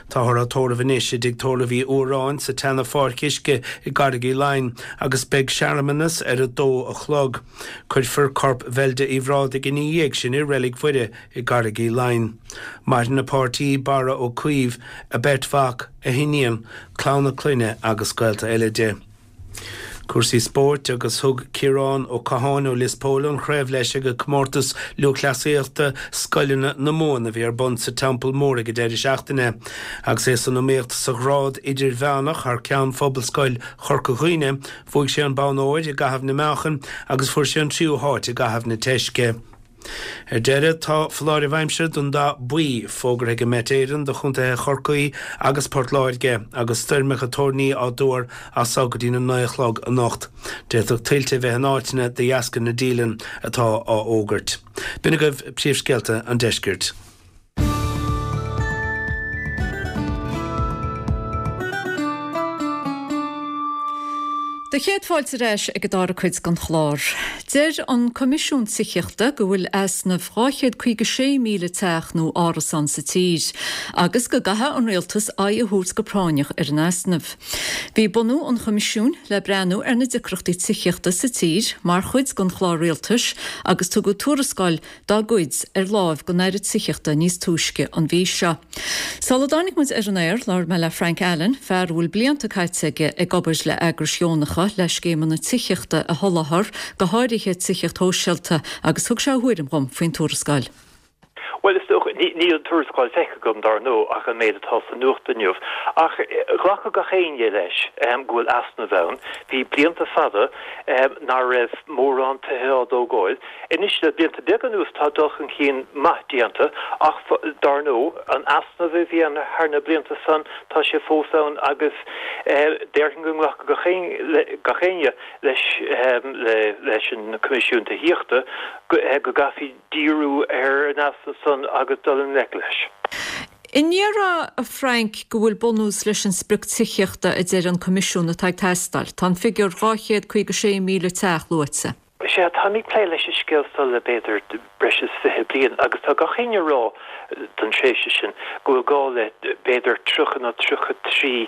Táthar á tórramh anois i dTigh Tórraimh Uí Fhuaráin sa tseana Pháirc Uisce i gCarraig Uí Leighin agus beidh searmanas ar a dó a chlog. Cuirfear corp Bheilda Uí Bhrádaigh ina dhiaidh sin i Reilig Mhuire i gCarraig Uí Leighin. Maireann a páirtí, Barra Ó Caoimh, a beirt mhac, a hiníon, clann a clainne agus gaolta eile di. Cúrsaí spóirt agus thug Ciarán Ó Catháin ó Lios Póil an chraobh leis ag Comórtas Lúthchleasaíochta Scoileanna na Mumhan a bhí ar bun sa Teampall Mór ag an deireadh seachtaine. Agus é san iomaíocht sa ghrád idirmheánach thar ceann Phobalscoil Chorca Dhuibhne, bhuaigh sé an bonn óir i gcaitheamh na meáchan agus fuair sé an tríú háit i gcaitheamh na teisce. Ar deireadh, tá foláireamh aimsire den dath buí fógartha ag Met Éireann do chontaetha Chorcaí agus Port Láirge agus stoirmeacha toirní á dtuar as so go dtí na naoi a chlog anocht. D'fhéadfadh tuilte a bheith in áiteanna de dheasca na díleann atá á fhógairt. B'in agaibh príomhscéalta an deiscirt. Do chéad fáilte ar ais ag an dara cuid den chlár. Deir an Coimisiún Tithíochta go bhfuil easnamh 256,000 teach nó árasán sa tír agus go gcaithfidh an Rialtas aghaidh a thabhairt go práinneach ar an easnamh. Bhí bunú an Choimisiúin le breathnú ar na deacrachtaí tithíochta sa tír mar chuid den chlár rialtais agus tugadh tuarascáil dá gcuid ar láimh don Aire Tithíochta níos túisce an mhí seo. Sula dtáinig muid ar an aer, labhair mé le Frank Allen, fear a bhfuil blianta caite aige ag obair le eagrais dheonacha le scéimeanna tithíochta a sholáthar, go háirithe tithíocht shóisialta, agus thug sé a thuairim dhom faoin tuarascáil. Bhuel, is dócha, níl an tuarascáil feicthe agam, dar ndóigh, ach an méid atá sa nuacht inniu. Ach ghlacfadh gach éinne leis go bhfuil easnamh ann. Bhí blianta fada nach raibh mórán tithe á dtógáil. Anois, le blianta beaga anuas, tá dul chun cinn maith déanta, ach dar ndóigh, an easnamh a bhí ann thar na blianta san, tá sé fós ann agus déarfainn go nglacfadh gach éinne leis leis an Coimisiún Tithíochta go gcaithfí díriú ar an easnamh san agus dul i ngleic leis. An ndéarfá, a Frank, go bhfuil bunús leis an sprioc tithíochta a deir an Coimisiún atá ag teastáil? Tá an figiúr 256,000 teach luaite. Sea, táim ag plé leis an scéal seo le b'fhéidir breis is 20 bliain agus tá gach éinne ag rá don tréimhse sin go bhfuil gá le b'fhéidir 30 nó 33,000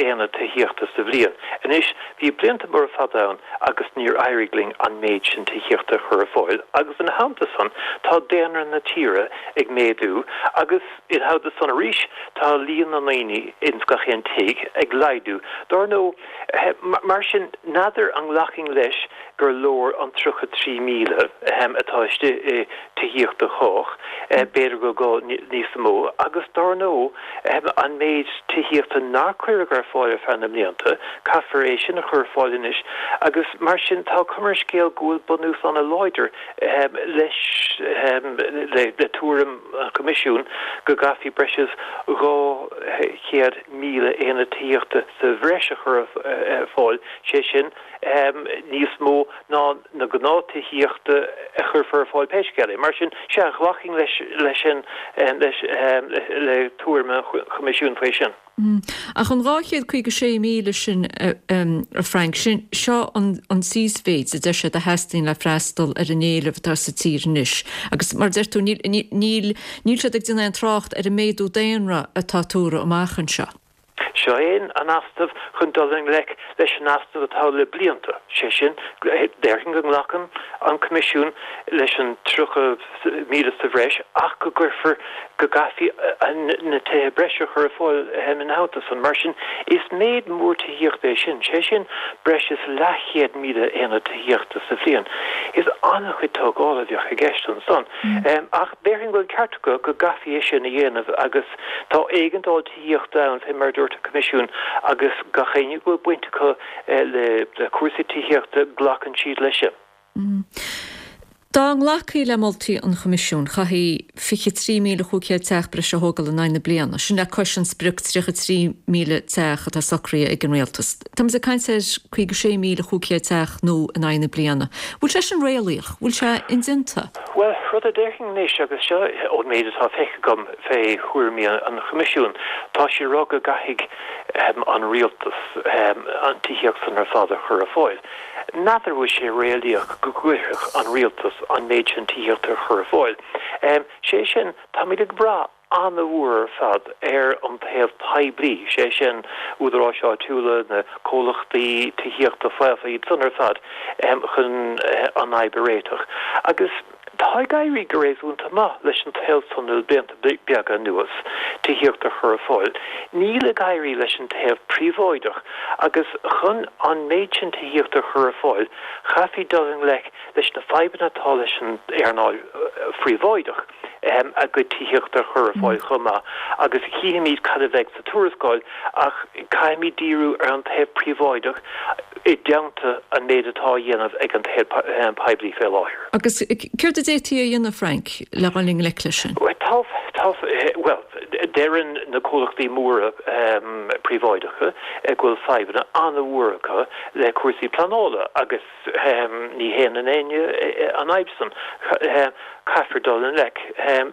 aonad tithíochta sa bhliain. Anois, bhí blianta móra fada ann agus níor éirigh linn an méid sin tithíochta a chur ar fáil agus ina theannta san tá daonra na tíre ag méadú agus ina theannta san arís tá líon na ndaoine ins gach aon tigh ag laghdú. Dar ndóigh, Mar sin, n'fheadar an nglacfainn leis gur leor an 33,000 atá istigh i Tithíocht do Chách, b'fhéidir go bhfuil gá níos mó, agus dár ndóigh, an méid tithíochta nár cuireadh ar fáil ar feadh na mblianta, caithfear é sin a chur ar fáil anois, agus mar sin, tá cuma ar an scéal go bhfuil bunús an-láidir leis, le tuairim an Choimisiúin, go gcaithfí breis is 200,000 aonad tithíochta sa bhreis a chur ar fáil, sé sin, níos mó ná na gnáth-tithíochta a chuirfear ar fáil pé scéal é. Mar sin, sea, ghlacfainn leis leis sin, leis, le tuairim an Choimisiúin faoi sin. Ach an 256,000 sin, a Frank, sin, seo an t-íosmhéid a deir siad a theastaíonn le freastal ar an éileamh atá sa tír anois. Agus mar a deir tú, níl, níl, níl siad ag déanamh aon trácht ar an méadú daonra atá tuartha amach anseo. Seo é an easnamh chun dul i ngleic leis an easnamh atá le blianta, sé sin, déarfainn go nglacann an Coimisiún leis an 30,000 sa bhreis ach go gcuirfear, go gcaithfí na tithe breise a chur ar fáil ina theannta san. Mar sin, is méid mór tithíochta é sin, sé sin breis is leathchéad míle aonad tithíochta sa bhliain. Is an-chuid tógála a bheadh i gceist ansan. Ach déarfainn go bhfuil an ceart acu go gcaithfí é sin a dhéanamh agus tá éigeandáil tithíochta ann, fé mar a dúirt an Coimisiún, agus gach éinne go bhfuil baint acu le cúrsaí tithíochta, glacann siad leis sin. Dá nglacfaí le moltaí an Choimisiúin, chaithfí 23,500 teach breise a thógáil in aghaidh na bliana, sin le cois an sprioc 33,000 teach atá socraithe ag an Rialtas. Táimid ag caint ar 56,500 teach nua in aghaidh na bliana. Bhfuil sé sin réalaíoch? Bhfuil sé indéanta? Bhuel, rud a déarfainn anois, agus seo ón méid atá feicthe agam fé thuairimí an Choimisiúin, tá siad ag rá go gcaithfidh an Rialtas an tithíocht san ar fad a chur ar fáil. N'fheadar bhfuil sé réalaíoch go gcuirfeadh an Rialtas an méid sin tithíochta a chur ar fáil. Sé sin, táimid ag brath. an-mhór ar fad ar an taobh poiblí, sé sin, údaráis áitiúla, na comhlachtaí tithíochta faofa, iad san ar fad, chun an fhadhb a réiteach. Agus tá ag éirí go réasúnta maith leis an taobh san le blianta beaga anuas, tithíocht a chur ar fáil. Níl ag éirí leis an taobh príobháideach agus chun an méid sin tithíochta a chur ar fáil, chaithfí dul i ngleic leis na fadhbanna atá leis an earnáil phríobháideach a gcuid tithíochta a chur ar fáil chomh maith agus chífimid cad a bheidh sa tuarascáil ach caithfimid díriú ar an taobh príobháideach i dteannta an méid atá á dhéanamh ag an taobh poiblí fé láthair. Agus céard a d'fhéadfaí a dhéanamh, Frank, le dhul i ngleic leis sin? Tá, tá, bhuel, deireann na comhlachtaí móra príobháideacha go bhfuil fadhbanna an-mhór acu le cúrsaí pleanála agus, Ní shéanann éinne an fhadhb san. Caithfear dul i ngleic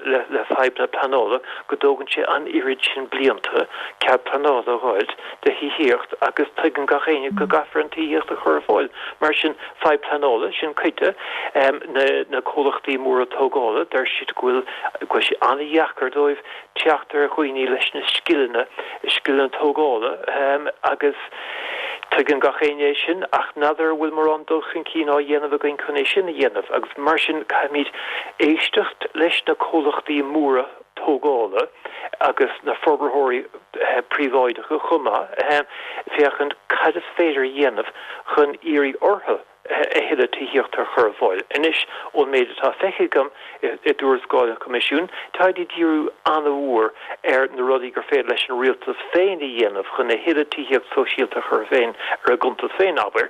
le fadhbanna pleanála go dtógann sé an oiread sin blianta cead pleanála a dh'fháilt do thithíocht agus tuigeann gach éinne go gcaithfear an tithíocht a chur ar fáil. Mar sin, fadhb pleanála, sin cuid de. Na comhlachtaí móra tógála, deir siad go bhfuil go bhfuil sé an-dheacair dóibh teacht ar dhaoine leis na scileanna, scileanna tógála agus tuigeann gach éinne é sin ach n'fheadar an bhfuil mórán dul chun cinn á dhéanamh againn chun é sin a dhéanamh agus mar sin caithfimid éisteacht leis na comhlachtaí móra tógála agus na forbarthóirí príobháideacha chomh maith féachaint cad is féidir a dhéanamh chun iarraidh orthu a thuilleadh tithíochta a chur ar fáil. Anois, ón méid atá feicthe agam i dtuarascáil an Choimisiúin, táid ag díriú an-mhór ar na rudaí gur féidir leis an rialtas féin a dhéanamh chun a thuilleadh tithíocht sóisialta a chur féin ar a gcuntas féin, abair.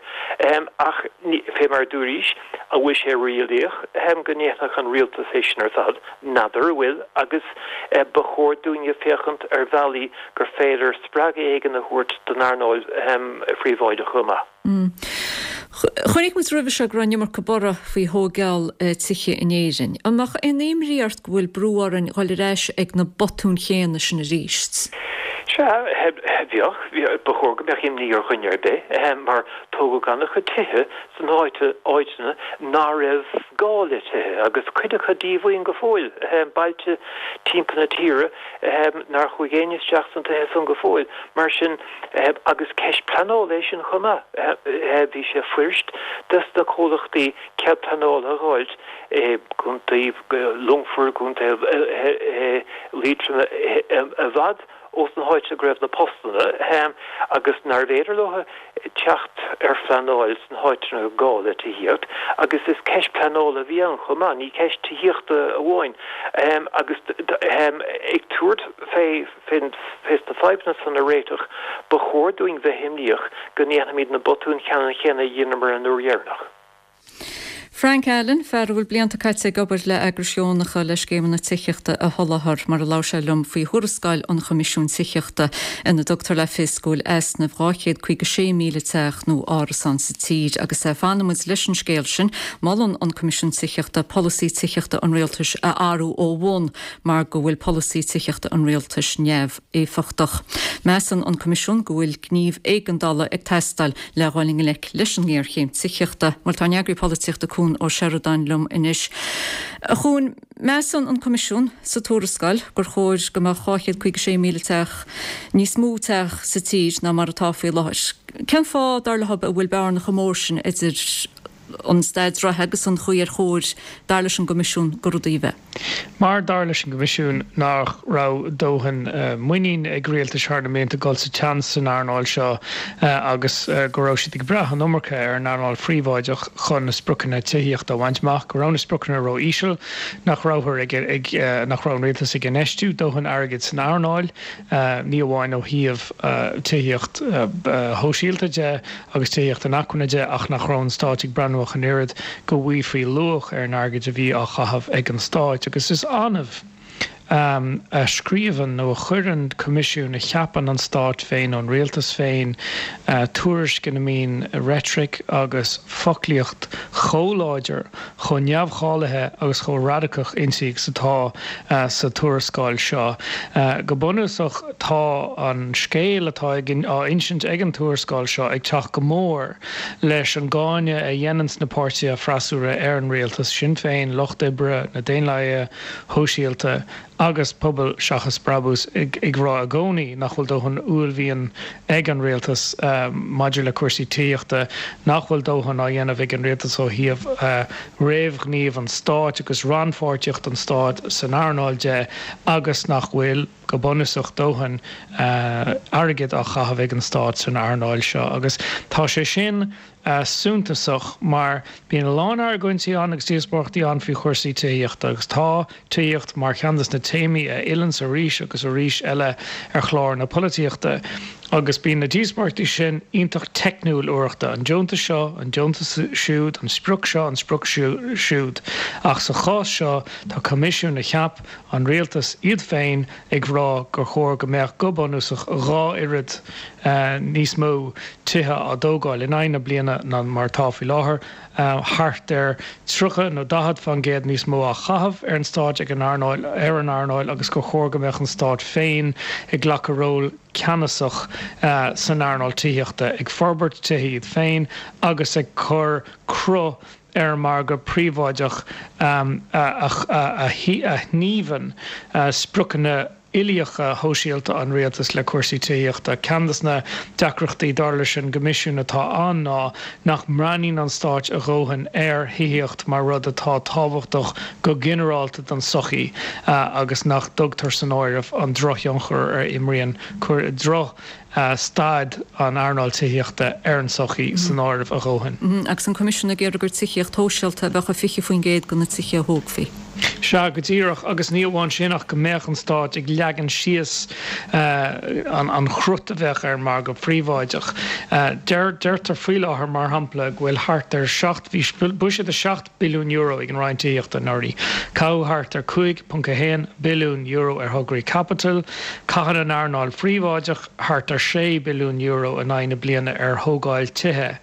Ach, fé mar a dúraís, an bhfuil sé réalaíoch go ndéanfadh an rialtas é sin ar fad? N'fheadar an bhfuil, agus ba chóir dúinne féachaint ar bhealaí gur féidir spreagadh éigin a thabhairt don earnáil phríobháideach chomh maith. Chonaic muid roimhe seo go raibh an iomarca borradh faoi thóigeáil tithe in Éirinn. An mbeadh aon imní ort go bhfuil brú orainn dhul ar ais ag na botúin chéanna sin arís? Sea, bheadh. Ba chóir go mbeadh imní ar dhuine ar bith mar tógadh an-chuid tithe sna háiteanna ná raibh gá le tithe agus cuid acu díomhaoin go fóill, bailte timpeall na tíre nár chuaigh éinne isteach sna tithe san go fóill. Mar sin, Agus ceist pleanála é sin chomh maith. Bhí sé fuirist dos na comhlachtaí cead pleanála a dh'fháilt i gContae Longfoirt, gContae Liatroma, i bhfad ós na háiteanna go raibh na postanna agus nárbh fhéidir leo teacht ar phleanáil sna háiteanna gá le tithíocht. Agus is ceist pleanála a bhí ann chomh maith, ní ceist tithíochta amháin. Agus ag tabhairt fé. Fés na fadhbanna san a réiteach, ba chóir dúinn bheith imníoch go ndéanfaimid na botúin cheannann chéanna a dheineamar an uair dheireanach. Frank Allen, fear a bhfuil blianta caite ag obair le eagrais dheonacha le scéimeanna tithíochta a sholáthar, mar a labhair sé liom faoi thuarascáil an Choimisiúin Tithíochta ina dtugtar le fios go bhfuil easnamh 256,000 teach nó árasán sa tír. Agus fanfaidh muid leis an scéal sin, molann an Coimisiún Tithíochta polasaí tithíochta an rialtais a athrú ó bhun mar go bhfuil polasaí tithíochta an rialtais neamhéifeachtach. Measann an Coimisiún go bhfuil gníomh éigeandála ag teastáil le dhul i ngleic leis an ngéarchéim tithíochta. Bhuel, tá an eagraí polaitíochta Cuan Ó Seireadáin liom anois. A Chuain, measann an Coimisiún sa tuarascáil gur chóir go mbeadh 256,000 teach, níos mó teach sa tír ná mar atá faoi láthair. Cén fáth, dar leob, a bhfuil bearna chomh mór sin idir an staid reatha agus an chaoi ar chóir, dar leis an gCoimisiún, do rudaí a bheith. Mar, dar leis an gCoimisiún, nach raibh dóthain muinín ag rialtais thar na mblianta dul sa tseans san earnáil seo agus go raibh siad ag brath an iomarca ar an earnáil phríobháideach chun na spriocanna tithíochta a bhaint amach, go raibh na spriocanna ró-íseal, nach rabhthar ag, nach raibh an rialtas ag infheistiú dóthain airgid san earnáil, ní amháin ó thaobh tithíocht shóisialta de agus tithíocht inacmhainne de ach nach raibh an Stát ag breathnú ach an oiread go bhfaighfí luach ar an airgead a bhí á chaitheamh ag an Stát. Agus is annamh a scríobhann nó a chuireann coimisiún a cheapann an Stát féin nó an rialtas féin tuairisc ina mbíonn reitric agus foclaíocht chomh láidir, chomh neamhcháilithe agus chomh radacach inti agus atá sa tuarascáil seo. Go bunúsach, tá an scéal atá á insint ag an tuarascáil seo ag teacht go mór leis an gcáineadh a dhéananns na páirtithe freasúra ar an rialtas, Sinn Féin, Lucht Oibre, na Daonlathaithe Shóisialta. Agus Pobal Seachas Brabús ag rá i gcónaí nach bhfuil dóthain uaillmhian ag an rialtas maidir le cúrsaí tithíochta, nach bhfuil dóthain á dhéanamh ag an rialtas ó thaobh réamhghníomh an stáit agus rannpháirtíocht an stáit san earnáil de agus nach bhfuil, go bunúsach, dóthain airgid á chaitheamh ag an stát san earnáil seo. Agus tá sé sin suntasach mar bíonn a lán argóintí ann agus díospóireachtaí ann faoi chúrsaí tithíochta agus tá tithíocht mar cheann de na téamaí a fhilleanns arís agus arís eile ar chlár na polaitíochta agus bíonn na díospóireachtaí sin iontach teicniúil uaireanta, an deontas seo, an deontas siúd, an sprioc seo, an sprioc siúd. Ach sa chás seo tá coimisiún a cheap an rialtas iad féin ag rá gur chóir go mbeadh go bunúsach 2 oiread níos mó tithe á dtógáil in aghaidh na bliana ná mar atá faoi láthair, thart ar 30 nó 40 fán gcéad níos mó á chaitheamh ar an stát ag an earnáil ar an earnáil agus gur chóir go mbeadh an stát féin ag glacadh ról ceannasach san earnáil tithíochta, ag forbairt tithe iad féin agus ag cur cruth ar an margadh príobháideach a shníomhann spriocanna uilíocha shóisialta an rialtais le cúrsaí tithíochta. Ceann de na deacrachtaí, dar leis an gCoimisiún, atá ann ná nach mbreathnaíonn an stáit a dhóthain ar thithíocht mar rud atá tábhachtach go ginearálta don tsochaí agus nach dtugtar san áireamh an drochthionchar a imríonn droch staid an earnáil tithíochta ar an tsochaí san áireamh a dhóthain. Agus an Coimisiún ag iarraidh gur tithíocht shóisialta a bheadh i 20% de na tithe a thógfaí. Sea, go díreach, agus ní amháin sin ach go mbeadh an stát ag leagan síos an chrut a bheadh ar an margadh príobháideach. Deirtear faoi láthair, mar shampla, go bhfuil thart ar 7, bhí buiséad €7 billiún ag an Roinn Tithíochta anuraidh. Caitheadh thart ar €5.1 billiún ar thograí caipitil. Caitheann an earnáil phríobháideach thart ar €6 billiún in aghaidh na bliana ar thógáil tithe.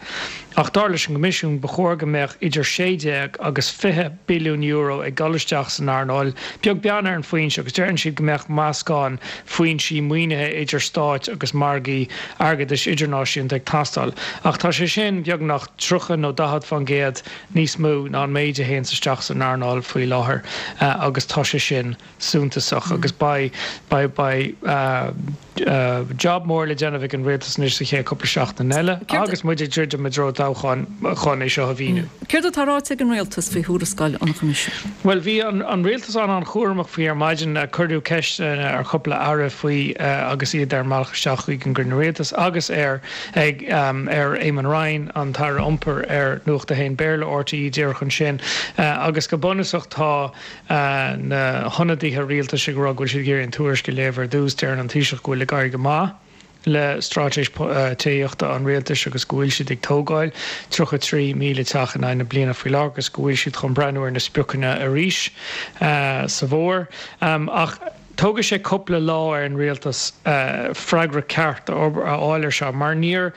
Ach dar leis an gCoimisiún, ba chóir go mbeadh idir 16 agus 20 billiún euro ag dul isteach san earnáil, beag beann ar an foinse, agus deireann siad go mbeadh meascán foinsí maoinithe idir stáit agus margaí airgeadais idirnáisiúnta ag teastáil. Ach tá sé sin beagnach 30 nó 40 fán gcéad níos mó ná an méid a théanns isteach san earnáil faoi láthair agus tá sé sin suntasach agus beidh, beidh, beidh job mór le déanamh ag an rialtas anois sa chéad cúpla seachtain eile agus muid ag druidim i dtreo toghcháin chun é seo a mhíniú. Céard atá ráite ag an rialtas faoi thuarascáil an Choimisiúin? Bhuel, bhí an rialtas an-an-chúramach faoi ar maidin. Cuireadh ceisteanna ar chúpla aire faoi agus iad ar a mbealach isteach chuig an gcruinniú rialtais agus ar ag ar Eamon Ryan, an tAire Iompair, ar Nuacht a hAon Béarla, RTÉ, díreach ansin. Agus go bunúsach tá na hionadaithe rialtais ag rá go bhfuil siad ag iarraidh an tuairisc a léamh ar dtús. Deireann an Taoiseach go bhfuil ag éirí go maith le straitéis tithíochta an rialtais agus go bhfuil siad ag tógáil 33,000 teach in aghaidh na bliana faoi láthair agus go bhfuil siad chun breathnú ar na spriocanna arís sa bhfómhar. Ach. Tógfaidh sé cúpla lá ar an rialtas freagra ceart a fháil ar seo mar níor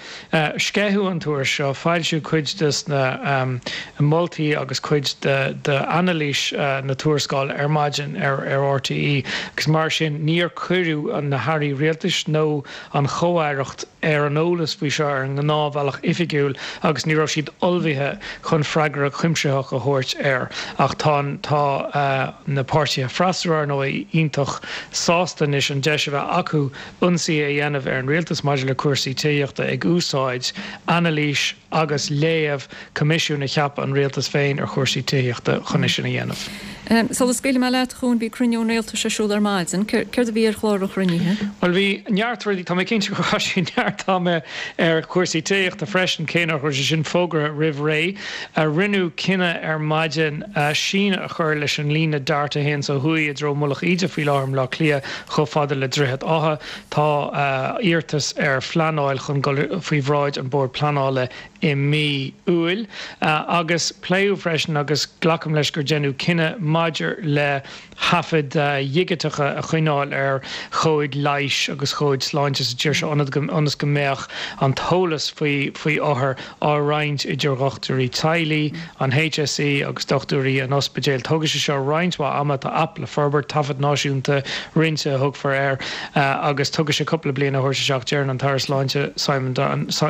sceitheadh an tuairisc seo, foilsíodh cuid de na moltaí agus cuid d'anailís na tuarascála ar maidin ar RTÉ agus mar sin níor cuireadh na hairí rialtais nó an chomh-aireacht ar an eolas faoi seo ar an ngnáthbhealach oifigiúil agus ní raibh siad ullmhaithe chun freagra cuimsitheach a thabhairt air. Ach tá tá na páirtithe freasúra, ar ndóigh, iontach sásta anois an deis a bheith acu ionsaí a dhéanamh ar an rialtas maidir le cúrsaí tithíochta ag úsáid anailís agus léamh coimisiún a cheap an rialtas féin ar chúrsaí tithíochta chun é sin a dhéanamh. Sula scaoilfidh mé leat, a Chuain, bhí cruinniú an rialtais ar siúl ar maidin. Céard a bhí ar chlár an chruinnithe? Bhuel, bhí neart rudaí. Tá mé cinnte gur chaith siad neart ama ar chúrsaí tithíochta freisin, cé nach raibh sé sin fógartha roimh ré. Rinneadh cinneadh ar maidin síneadh a chur leis an líne DART a théanns ó thuaidh i dtreo Mullach Íde faoi láthair i mBleá Cliath chomh fada le Droichead Átha. Tá iarratas ar phleanáil chun dul faoi bhráid an Bord Pleanála i mí Iúil agus pléadh freisin agus glacaim leis gur deineadh cinneadh maidir le taifid dhigiteacha a choinneáil ar chomhaid leighis agus chomhaid sláinte sa tír seo ionas go mbeadh an t-eolas faoi faoi othair á roinnt idir dhochtúirí teaghlaigh, an HSE agus dochtúirí an ospidéil. Tógfaidh sé seo roinnt mhaith ama, tá aip le forbairt, taifead náisiúnta roinnte a thugfar air, agus tógfaidh sé cúpla bliain a thabhairt isteach. Deireann an tAire Sláinte Simon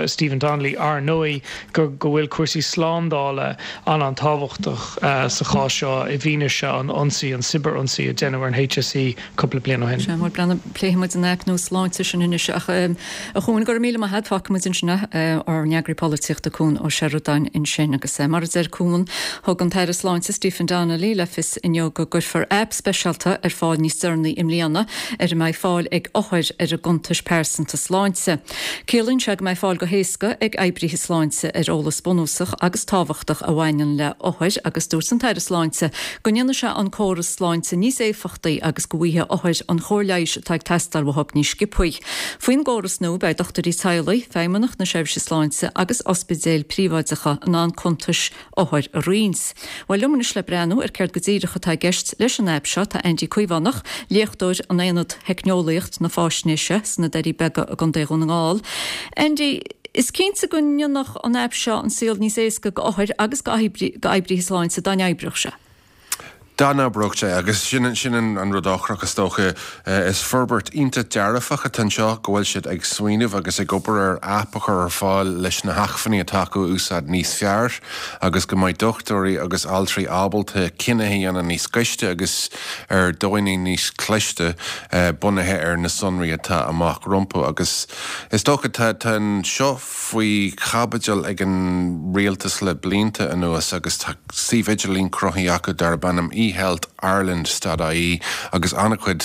Stephen Donnelly, ar ndóigh, go go bhfuil cúrsaí slándála an-an-tábhachtach sa chás seo i bhfianaise. briseadh, an ionsaí, an cibear-ionsaí a deineadh ar an HSE cúpla bliain ó shin. Sea, bhuel, breathnaigh, pléifidh muid an aip nua sláinte sin anois ach, a Chuain, go raibh míle maith agat, fágfaidh muid ansin é, ár n-eagraí polaitíochta Cuan Ó Seireadáin ansin. Agus mar a deir Cuan, thug an tAire Sláinte Stephen Donnelly le fios inniu go gcuirfear aip speisialta ar fáil níos deireanaí i mbliana ar a mbeidh fáil ag othair ar a gcuntais pearsanta sláinte. Ciallaíonn sé go mbeidh fáil go héasca ag oibrithe sláinte ar eolas bunúsach agus tábhachtach a bhaineann le hothair agus dúirt an tAire Sláinte go ndéanfaidh sé an córas sláinte níos éifeachtaí agus go bhfaighidh othair an chóir leighis atá ag teastáil uathu níos sciobthaí. Faoin gcóras nua beidh dochtúirí teaghlaigh, Feidhmeannacht na Seirbhíse Sláinte agus ospidéil phríobháideacha in ann cuntais othair a roinnt. Bhuel, liom anois le breathnú ar céard go díreach atá i gceist leis an aip seo tá Andy Caomhánach, léachtóir in Aonad Theicneolaíocht na Faisnéise sna Doirí Beaga i gContae Dhún na nGall. Andy, is cinnte go ndéanfadh an aip seo an saol níos éasca go othair agus go oibrithe sláinte dá n-oibreodh sé. Dá n-oibreodh sé, agus sin sin an rud ocrach is dócha. Is forbairt iontach dearfach atá anseo go bhfuil siad ag smaoineamh agus ag obair ar aip a chur ar fáil leis na hacmhainní atá acu a úsáid níos fearr agus go mbeidh dochtúirí agus altraí ábalta cinnithe a dhéanamh níos gaiste agus ar dóigheanna níos cliste bunaithe ar na sonraí atá amach rompu. Agus is dócha tá tá seo faoi chaibidil ag an rialtas le blianta anuas agus tá suíomh idirlín cruthaithe acu darb ainm eHealthIreland dot ie agus an-chuid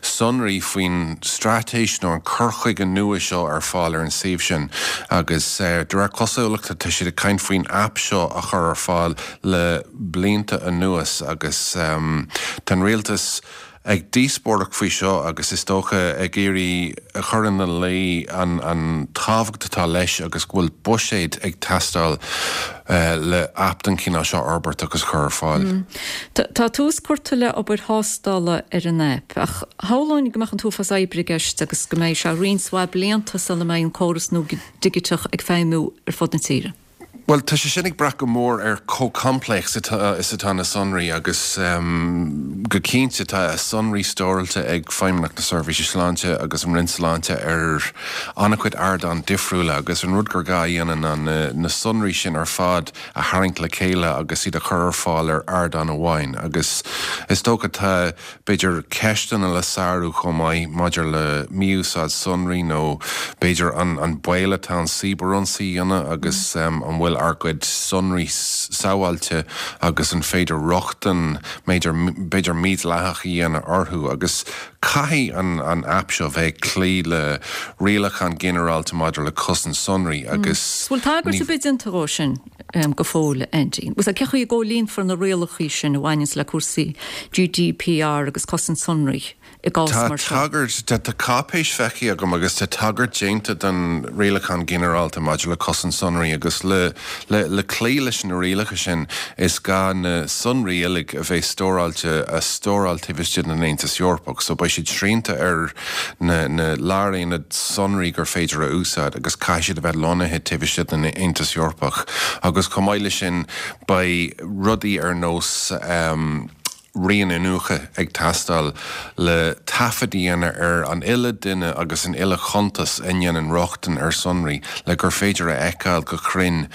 sonraí faoin straitéis nó an cur chuige nua seo ar fáil ar an suíomh sin agus de réir cosúlachta tá siad ag caint faoin aip seo a chur ar fáil le blianta anuas agus tá an rialtas ag díospóireacht faoi seo agus is dócha ag iarraidh a chur ina luí an tábhacht atá leis agus go bhfuil buiséad ag teastáil le aip den chineál seo a fhorbairt agus a chur ar fáil. Tá tús curtha le obair thástála ar an aip ach shamhlóinn go mbeadh an t-uafás oibre i gceist agus go mbeidh sé roinnt mhaith blianta sula mbeidh an córas nua digiteach ag feidhmiú ar fud na tíre. Bhuel, tá sé sin ag brath go mór ar chomh complex is atá na sonraí agus go cinnte tá sonraí stóráilte ag Feidhmeannacht na Seirbhíse Sláinte agus an Roinn Sláinte ar an-chuid ardán difriúla agus an rud gur gá a dhéanamh ná na sonraí sin ar fad a tharraingt le chéile agus iad a chur ar fáil ar ardán amháin agus is dócha tá b'fhéidir ceisteanna le sárú chomh maith maidir le mí-úsáid sonraí nó b'fhéidir an baol atá ann cibearionsaí a dhéanamh agus an bhfuil ár gcuid sonraí sábháilte agus an féidir rochtain b'fhéidir b'fhéidir mídhleathach a dhéanamh orthu agus caithfidh an an aip seo bheith ag cloí le rialachán ginearálta maidir le cosaint sonraí agus Bhfuil tagairt ar bith déanta dhó sin? go fóill, Andy. Cén chaoi a gcomhlíonfar na rialacha sin a bhaineanns le cúrsaí GDPR agus cosaint sonraí i gcás mar seo? Tá tagairt, tá cáipéis feicthe agam agus tá tagairt déanta don Rialachán Ginearálta maidir le Cosaint Sonraí agus le, le, le cloí leis na rialacha sin is gá na sonraí uilig a bheith stóráilte a stóráil taobh istigh den Aontas Eorpach so beidh siad srianta ar na na láraonaid sonraí gur féidir a úsáid agus caithfidh siad a bheith lonnaithe taobh istigh den Aontas Eorpach agus chomh maith leis sin beidh rudaí ar nós rian iniúchta ag teastáil le taifead a dhéanamh ar an uile duine agus an uile chuntas a ndéanann rochtain ar sonraí le gur féidir a fheiceáil go cruinn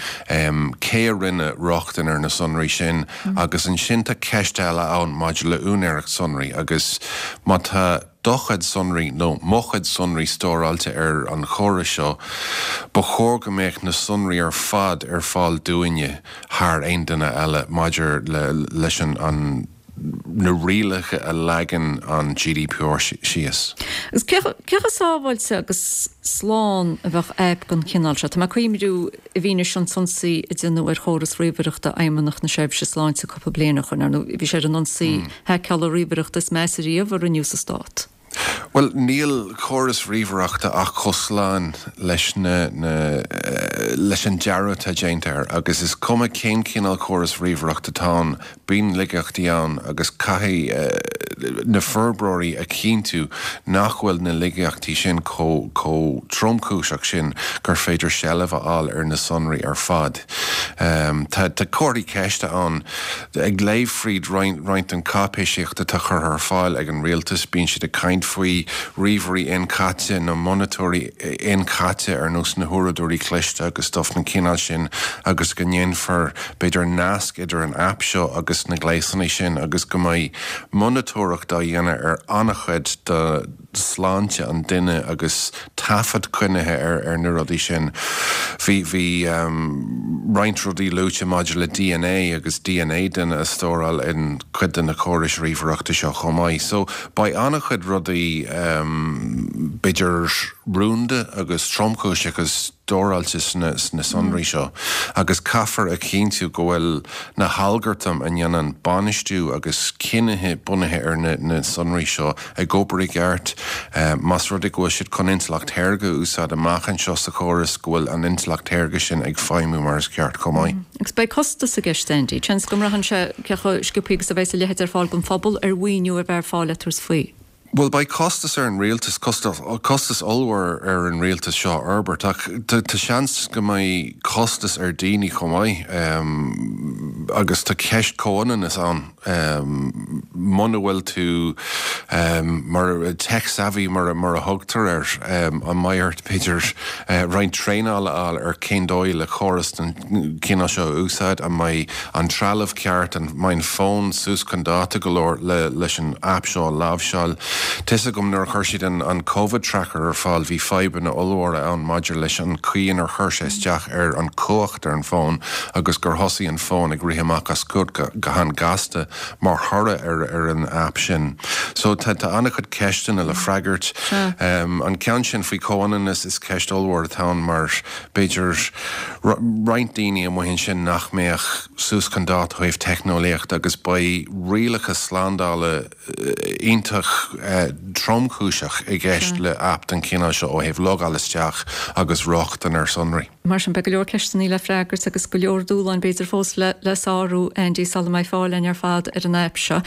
cé a rinne rochtain ar na sonraí sin agus ansin tá ceist eile ann maidir le úinéireacht sonraí agus má tá do chuid sonraí nó mo chuid sonraí stóráilte ar an chóras seo, ba chóir go mbeadh na sonraí ar fad ar fáil dúinne thar aon duine eile maidir leis an na rialacha a leagann an GDPR síos. Agus cé chomh sábháilte agus slán a bheadh aip den chineál seo? Tá mé ag cuimhniú i bhfianaise an t-ionsaí a déanadh ar chóras ríomhaireachta Fheidhmeannacht na Seirbhíse Sláinte cúpla bliain ó shin, ar ndóigh, bhí sé ar an ionsaí haiceála ríomhaireachta is measa riamh a rinneadh sa stát. Bhuel, níl córas ríomhaireachta ach chomh slán leis na, na, leis an dearadh atá déanta air agus is cuma cén cineál córas ríomhaireachta atá ann, Bíonn laigeachtaí ann agus caithfidh na forbróirí a chinntiú nach bhfuil na laigeachtaí sin chomh tromchúiseach sin gur féidir seilbh a fháil ar na sonraí ar fad. Tá comharthaí ceiste ann. Ag léamh fríd roinnt den cháipéisíocht atá curtha ar fáil ag an rialtas, bíonn siad ag caint faoi. ríomhairí inchaite nó monatóirí inchaite ar nós na huaireadóirí cliste agus stuff den chineál sin agus go ndéanfar b'fhéidir nasc idir an aip seo agus na gléasanna sin agus go mbeidh monatóireacht á dhéanamh ar an-chuid de sláinte an duine agus taifead coinnithe ar ar na rudaí sin. Bhí bhí roinnt rudaí luaite maidir le dna agus dna duine a stóráil in cuid de na córais ríomhaireachta seo chomh maith. So beidh an-chuid rudaí b'fhéidir rúnda agus tromchúiseacha stóráilte sna sonraí seo agus caithfear a chinntiú go bhfuil na halgartaim a ndéanann bainistiú agus cinnithe bunaithe ar na sonraí seo ag obair i gceart. Más rud é go bhfuil siad chun intleacht shaorga a úsáid amach anseo sa chóras, go bhfuil an intleacht shaorga sin ag feidhmiú mar is ceart chomh maith. Agus beidh costas i gceist, Andy. Seans go mbraitheann sé cé chomh sciobthaí agus a bheas a leithéid ar fáil don phobal ar mhaoiniú a bheith ar fáil le tabhairt faoi. Bhuel, beidh costas ar an rialtas, costas ollmhór ar an rialtas seo a fhorbairt, ach tá seans go mbeidh costas ar daoine chomh maith agus tá ceist comhionannas ann. Muna bhfuil tú mar tech savvy mar a thugtar air, an mbeidh ort b'fhéidir roinnt traenála a fháil ar cén dóigh le córas den chineál seo a úsáid, an mbeidh an trealamh ceart, an mbeidh an fón suas chun dáta go leor le leis an aip seo a láimhseáil. Tá's agam nuair a chuir siad an an Covid Tracker ar fáil bhí fadhbanna ollmhóra ann maidir leis an chaoi inar chuir sé isteach ar an chumhacht ar an bhfón agus gur thosaigh an fón ag rith amach as cumhacht go han-ghasta mar thoradh ar ar an aip sin. So tá tá an-chuid ceisteanna le freagairt. An ceann sin faoi chomhionannas is ceist ollmhór atá ann mar b'fhéidir roinnt daoine amuigh ansin nach mbeadh suas chun dáta ó thaobh teicneolaíochta agus beidh rialacha slándála iontach tromchúiseach i gceist le aip den chineál seo ó thaobh logáil isteach agus rochtain ar sonraí. Mar sin, beidh go leor ceisteanna le freagairt agus go leor dúshláin b'fhéidir fós le sárú, Andy, sula mbeidh fáil againn ar fad ar an aip seo.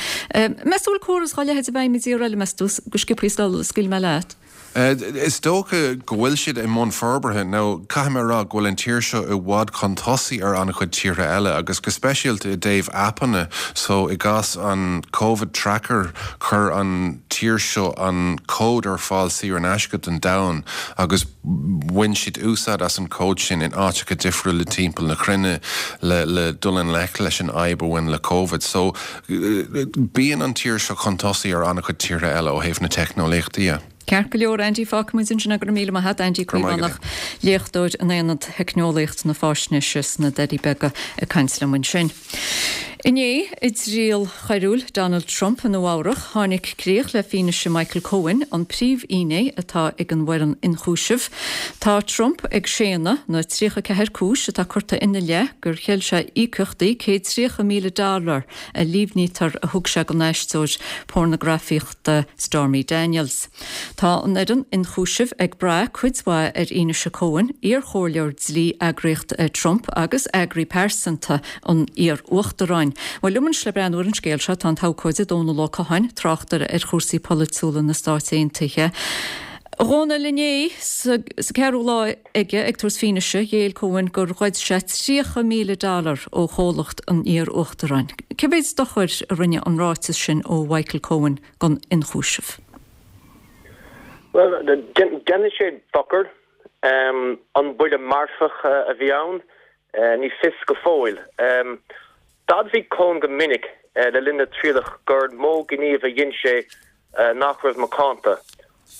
Meas tú an bhfuil córas dá leithéid i bhfeidhm i dtír eile, meas tú, go sciobthaí sula scaoilfidh mé leat? Is dócha go bhfuil siad i mbun forbartha, nó caithfidh mé a rá go bhfuil an tír seo i bhfad chun tosaigh ar an-chuid tíortha eile, agus go speisialta i dtaobh aipeanna. So, i gcás an Covid Tracker, chuir an tír seo an cód ar fáil saor in aisce don domhan, agus bhain siad úsáid as an cód sin in áiteacha difriúla timpeall na cruinne le le dul i ngleic leis an fhadhb a bhain le Covid. So, Bíonn an tír seo chun tosaigh ar an-chuid tíortha eile ó thaobh na teicneolaíochta dhe. Ceart go leor, Andy, fágfaidh muid ansin é. Go raibh míle maith a't, Andy Caomhánach, léachtóir in Aonad Theicneolaíocht na Faisnéise sna Doirí Beaga ag caint liom ansin. Inné, i dtriail choiriúil Donald Trump i Nua Eabhrach, tháinig críoch le fianaise Michael Cohen, an príomhfhinné atá ag an bhfoireann ionchúisimh. Tá Trump ag séanadh na 34 cúis atá curtha ina leith gur cheil sé íocaíochtaí 130,000 dollar a líomhnaítear a thug sé don aisteoir pornagrafaíochta Stormy Daniels. Tá an fhoireann ionchúisimh ag brath cuid mhaith ar fhianaise Cohen, iarchomhairleoir dlí eagraíocht Trump agus eagraí pearsanta an iar-uachtaráin. Bhuel, liom anois le breathnú ar an scéal seo tá an t-abhcóide Dónal Ó Catháin, tráchtaire ar chúrsaí polaitiúla na Stáit Aontaithe. A Dhónaill, inné, sa ceathrú lá aige ag tabhairt fianaise, ghéill Cohen gur ghoid sé 30,000 dollar ó chomhlacht an iar-uachtaráin. Cé mhéid dochair a rinne an ráiteas sin ó Mhichael Cohen don ionchúiseamh? Bhuel, déanfaidh sé dochar. An buille marfach a bhí ann? Ní fios go fóill. D'admhaigh Cohen go minic le linn na trialach gur mó gníomh a dhein sé nach raibh macánta.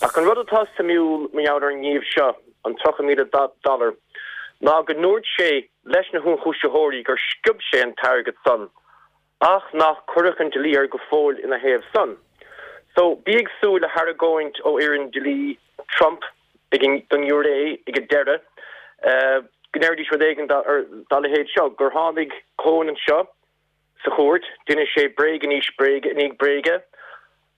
Ach an rud atá suimiúil mar gheall ar an ngníomh seo, an 30,000 dollar, ná go ndúirt sé leis na hionchúisitheoirí gur sciob sé an t-airgead san, ach nach cuireadh an dlí air go fóill ina thaobh san. So, bí ag súil le hargóint ó fhoireann dlí Trump ag an, don ngiúiré ag an deireadh, go ndéarfaidís rud éigin dá leithéid seo, gur tháinig Cohen anseo, Sa chúirt, d'inis sé bréag i ndiaidh bréige i ndiaidh bréige,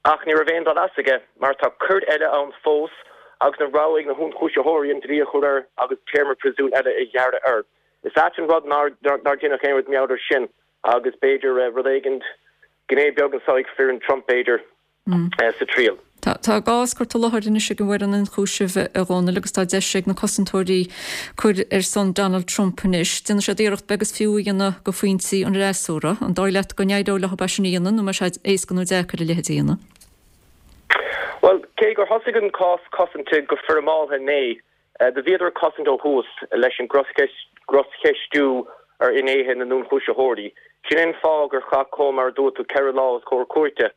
ach ní raibh aon dul as aige mar tá coir eile ann fós agus an rogha ag na hionchúisitheoirí an dlí a chur air agus téarma príosúin eile a ghearradh air. Is ait an rud nár deineadh aon rud mar gheall air sin agus b'fhéidir rud éigin, gné beag anseo ag foireann Trump b'fhéidir. sa triail. Tá a gcás curtha i láthair anois ag an bhfoireann ionchúisimh, a Dhónaill, agus tá deis ag na cosantóirí cur ar son Donald Trump anois. Déanfaidh siad iarracht beag is fiú a dhéanamh de phointí an fhreasúra. An dóigh leat go n-éireoidh leo é sin a dhéanamh nó an mbeidh sé éasca nó deacair a leithéid a dhéanamh? Bhuel, cé gur thosaigh an cás cosanta go foirmeálta inné, do bhíodar ag cosaint ó thús leis an gcroscheistiú ar fhinnéithe na n-ionchúisitheoirí. Sin é an fáth gur chaith Cohen, mar a dúirt tú, 4 lá os comhair cúirte.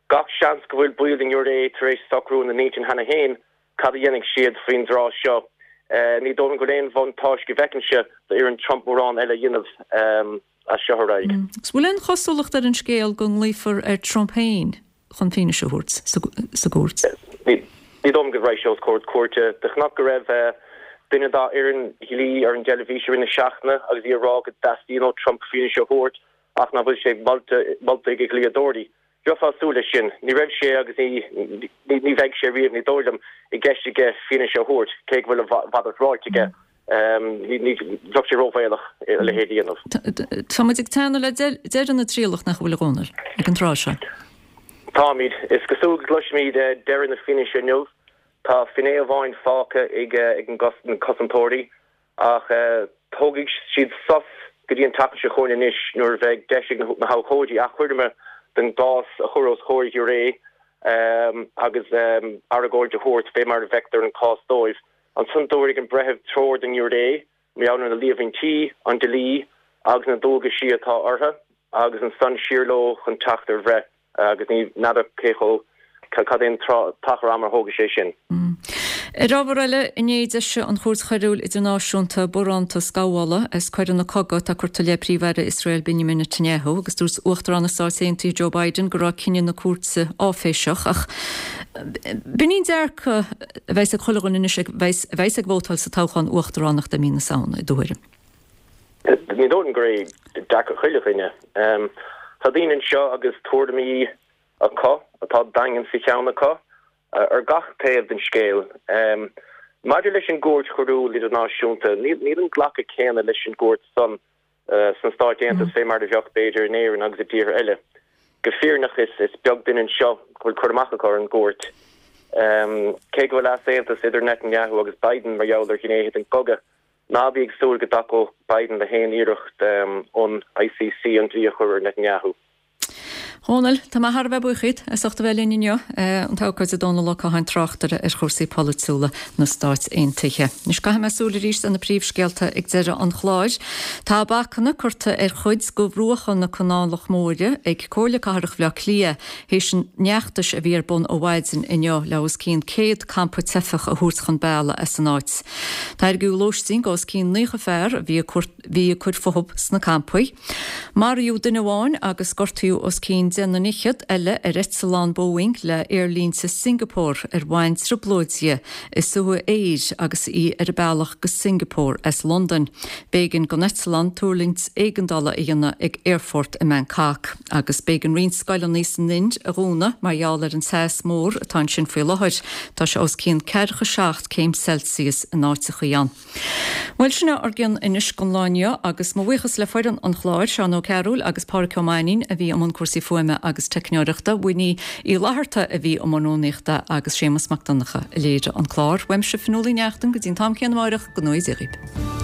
Gach seans go bhfuil baill den ngiúiré tar éis socrú ina n-intinn cheana féin cad a dhéanfaidh siad faoin dtráth seo. Ní dóigh liom go bhfuil aon bhuntáiste go bhfeicinnse d'fhoireann Trump mórán eile a dhéanamh as seo ar aghaidh. Agus bhfuil aon chosúlacht ar an scéal go nglaofar ar Trump féin chun fianaise a thabhairt sa gcúirt? Ní dóigh liom go raghaidh sé os comhair cúirte. Do chonac go raibh duine dá fhoireann dhlí ar an dteilifís i rith na seachtaine agus í ag rá go dteastaíonn ó Trump fianaise a thabhairt ach nach bhfuil sé molta ag a dhlíodóirí. Bheifeá ag súil leis sin. Ní raibh sé agus ní ní bheidh sé riamh, ní dóigh liom, i gceist aige fianaise a thabhairt, cé go bhfuil a mhalairt ráite aige. Ní bheadh sé róbhaolach a leithéid a dhéanamh. Tá muid ag teannadh le deireadh na trialach, nach bhfuil, a Dhónaill, ag an tráth seo? Táimid. Is cosúil go gcloisfimid deireadh na fianaise inniu. Tá finné amháin fágtha ag na cosantóirí. Ach tógfaidh siad sos go dtí an tseachtain seo chugainn anois nuair a bheidh deis ag na habhcóidí achoimre den gcás a chur os comhair ghiúiré agus argóint a thabhairt fé mar a bhfeictear an cás dóibh. Ansan tabharfaidh an breitheamh treoir don ngiúiré mar gheall ar na líomhaintí, an dlí agus na dualgaisí atá orthu agus ansan siar leo chun teacht ar bhreith. Agus ní n'fheadar cé chomh, cad é an t-achar ama a thógfaidh sé sin. Ar ábhar eile, inné d'eisigh an Chúirt Choiriúil Idirnáisiúnta barántas gabhála as coireanna cogaidh atá curtha i leith Príomh-Aire Iosrael Benjamin Netanyahu agus dúirt Uachtarán na Stáit Aontaithe Joe Biden go raibh cinneadh na cúirte áiféiseach. Ach b'in í an dearcadh a bheas ag chuile dhuine anois a bheas ag vótáil sa toghchán uachtaránachta i mí na Samhna, i do thuairim. Ní dóigh liom gur é dearcadh chuile dhuine. Tá daoine anseo agus tuairimí acu atá daingean sa cheann acu ar gach taobh den scéal. Maidir leis an gCúirt Choiriúil Idirnáisiúnta, níl an glacadh céanna leis an gcúirt san sna Stáit Aontaithe fé mar a bheadh, b'fhéidir, in Éirinn agus i dtíortha eile. Go fírinneach is beag duine anseo go bhfuil cur amach acu ar an gcúirt. Cé go bhfuil easaontas idir Netanyahu agus Biden mar gheall ar ghnéithe den gcogadh, Ná bí ag súil go dtacódh Biden le haon iarracht ón ICC an dlí a chur ar Netanyahu. Dhónaill, tá mé thar a bheith buíoch díot as ucht a bheith linn inniu. An t-abhcóide Dónall Ó Catháin, tráchtaire ar chúrsaí polaitiúla na Stáit Aontaithe. Anois caithfidh mé súil arís ar na príomhscéalta ag deireadh an chláir. Tá bacanna curtha ar chuid de bhruacha na Canálach Móire ag Comhairle Cathrach Bhaile Átha Cliath théis an fheachtais a bhí ar bun ó mhaidin inniu le os cionn 100 campa teifeach a thabhairt chun bealaigh as an áit. Tairgeadh lóistín do os cionn 90 fear a bhí ag bhí ag cur fúthu sna campaí. Maraíodh duine amháin agus gortaíodh os cionn 10 nduine fhichead eile ar eitleán Boeing le Aerlínte Singapore ar bhain trioblóid di i suaitheadh aeir agus í ar a bealach go Singapore as Londain. B'éigean don eitleán tuirlingt éigeandála a dhéanamh ag aerfort i mBangkok agus b'éigean roinnt scoileanna san Ind a dhúnadh mar gheall ar an teas mór atá ansin faoi láthair. Tá sé os cionn 47 céim Celsius in áiteachaí ann. Bhuel, sin é ár gcion anois don lá inniu agus mo bhuíochas le foireann an chláir, Seán Ó Cearúil agus Pádhraic Ó Mainnín a bhí i mbun cúrsaí fuaime agus teicneoireachta, Winnie Uí Fhlatharta a bhí i mbun rúnaíochta agus Séamus Mac Donncha a léirigh an clár. Uaimse Fionnuala Uí Neachtain go dtí an t-am céanna amáireach, go ngnóthaí Dia dhaoib.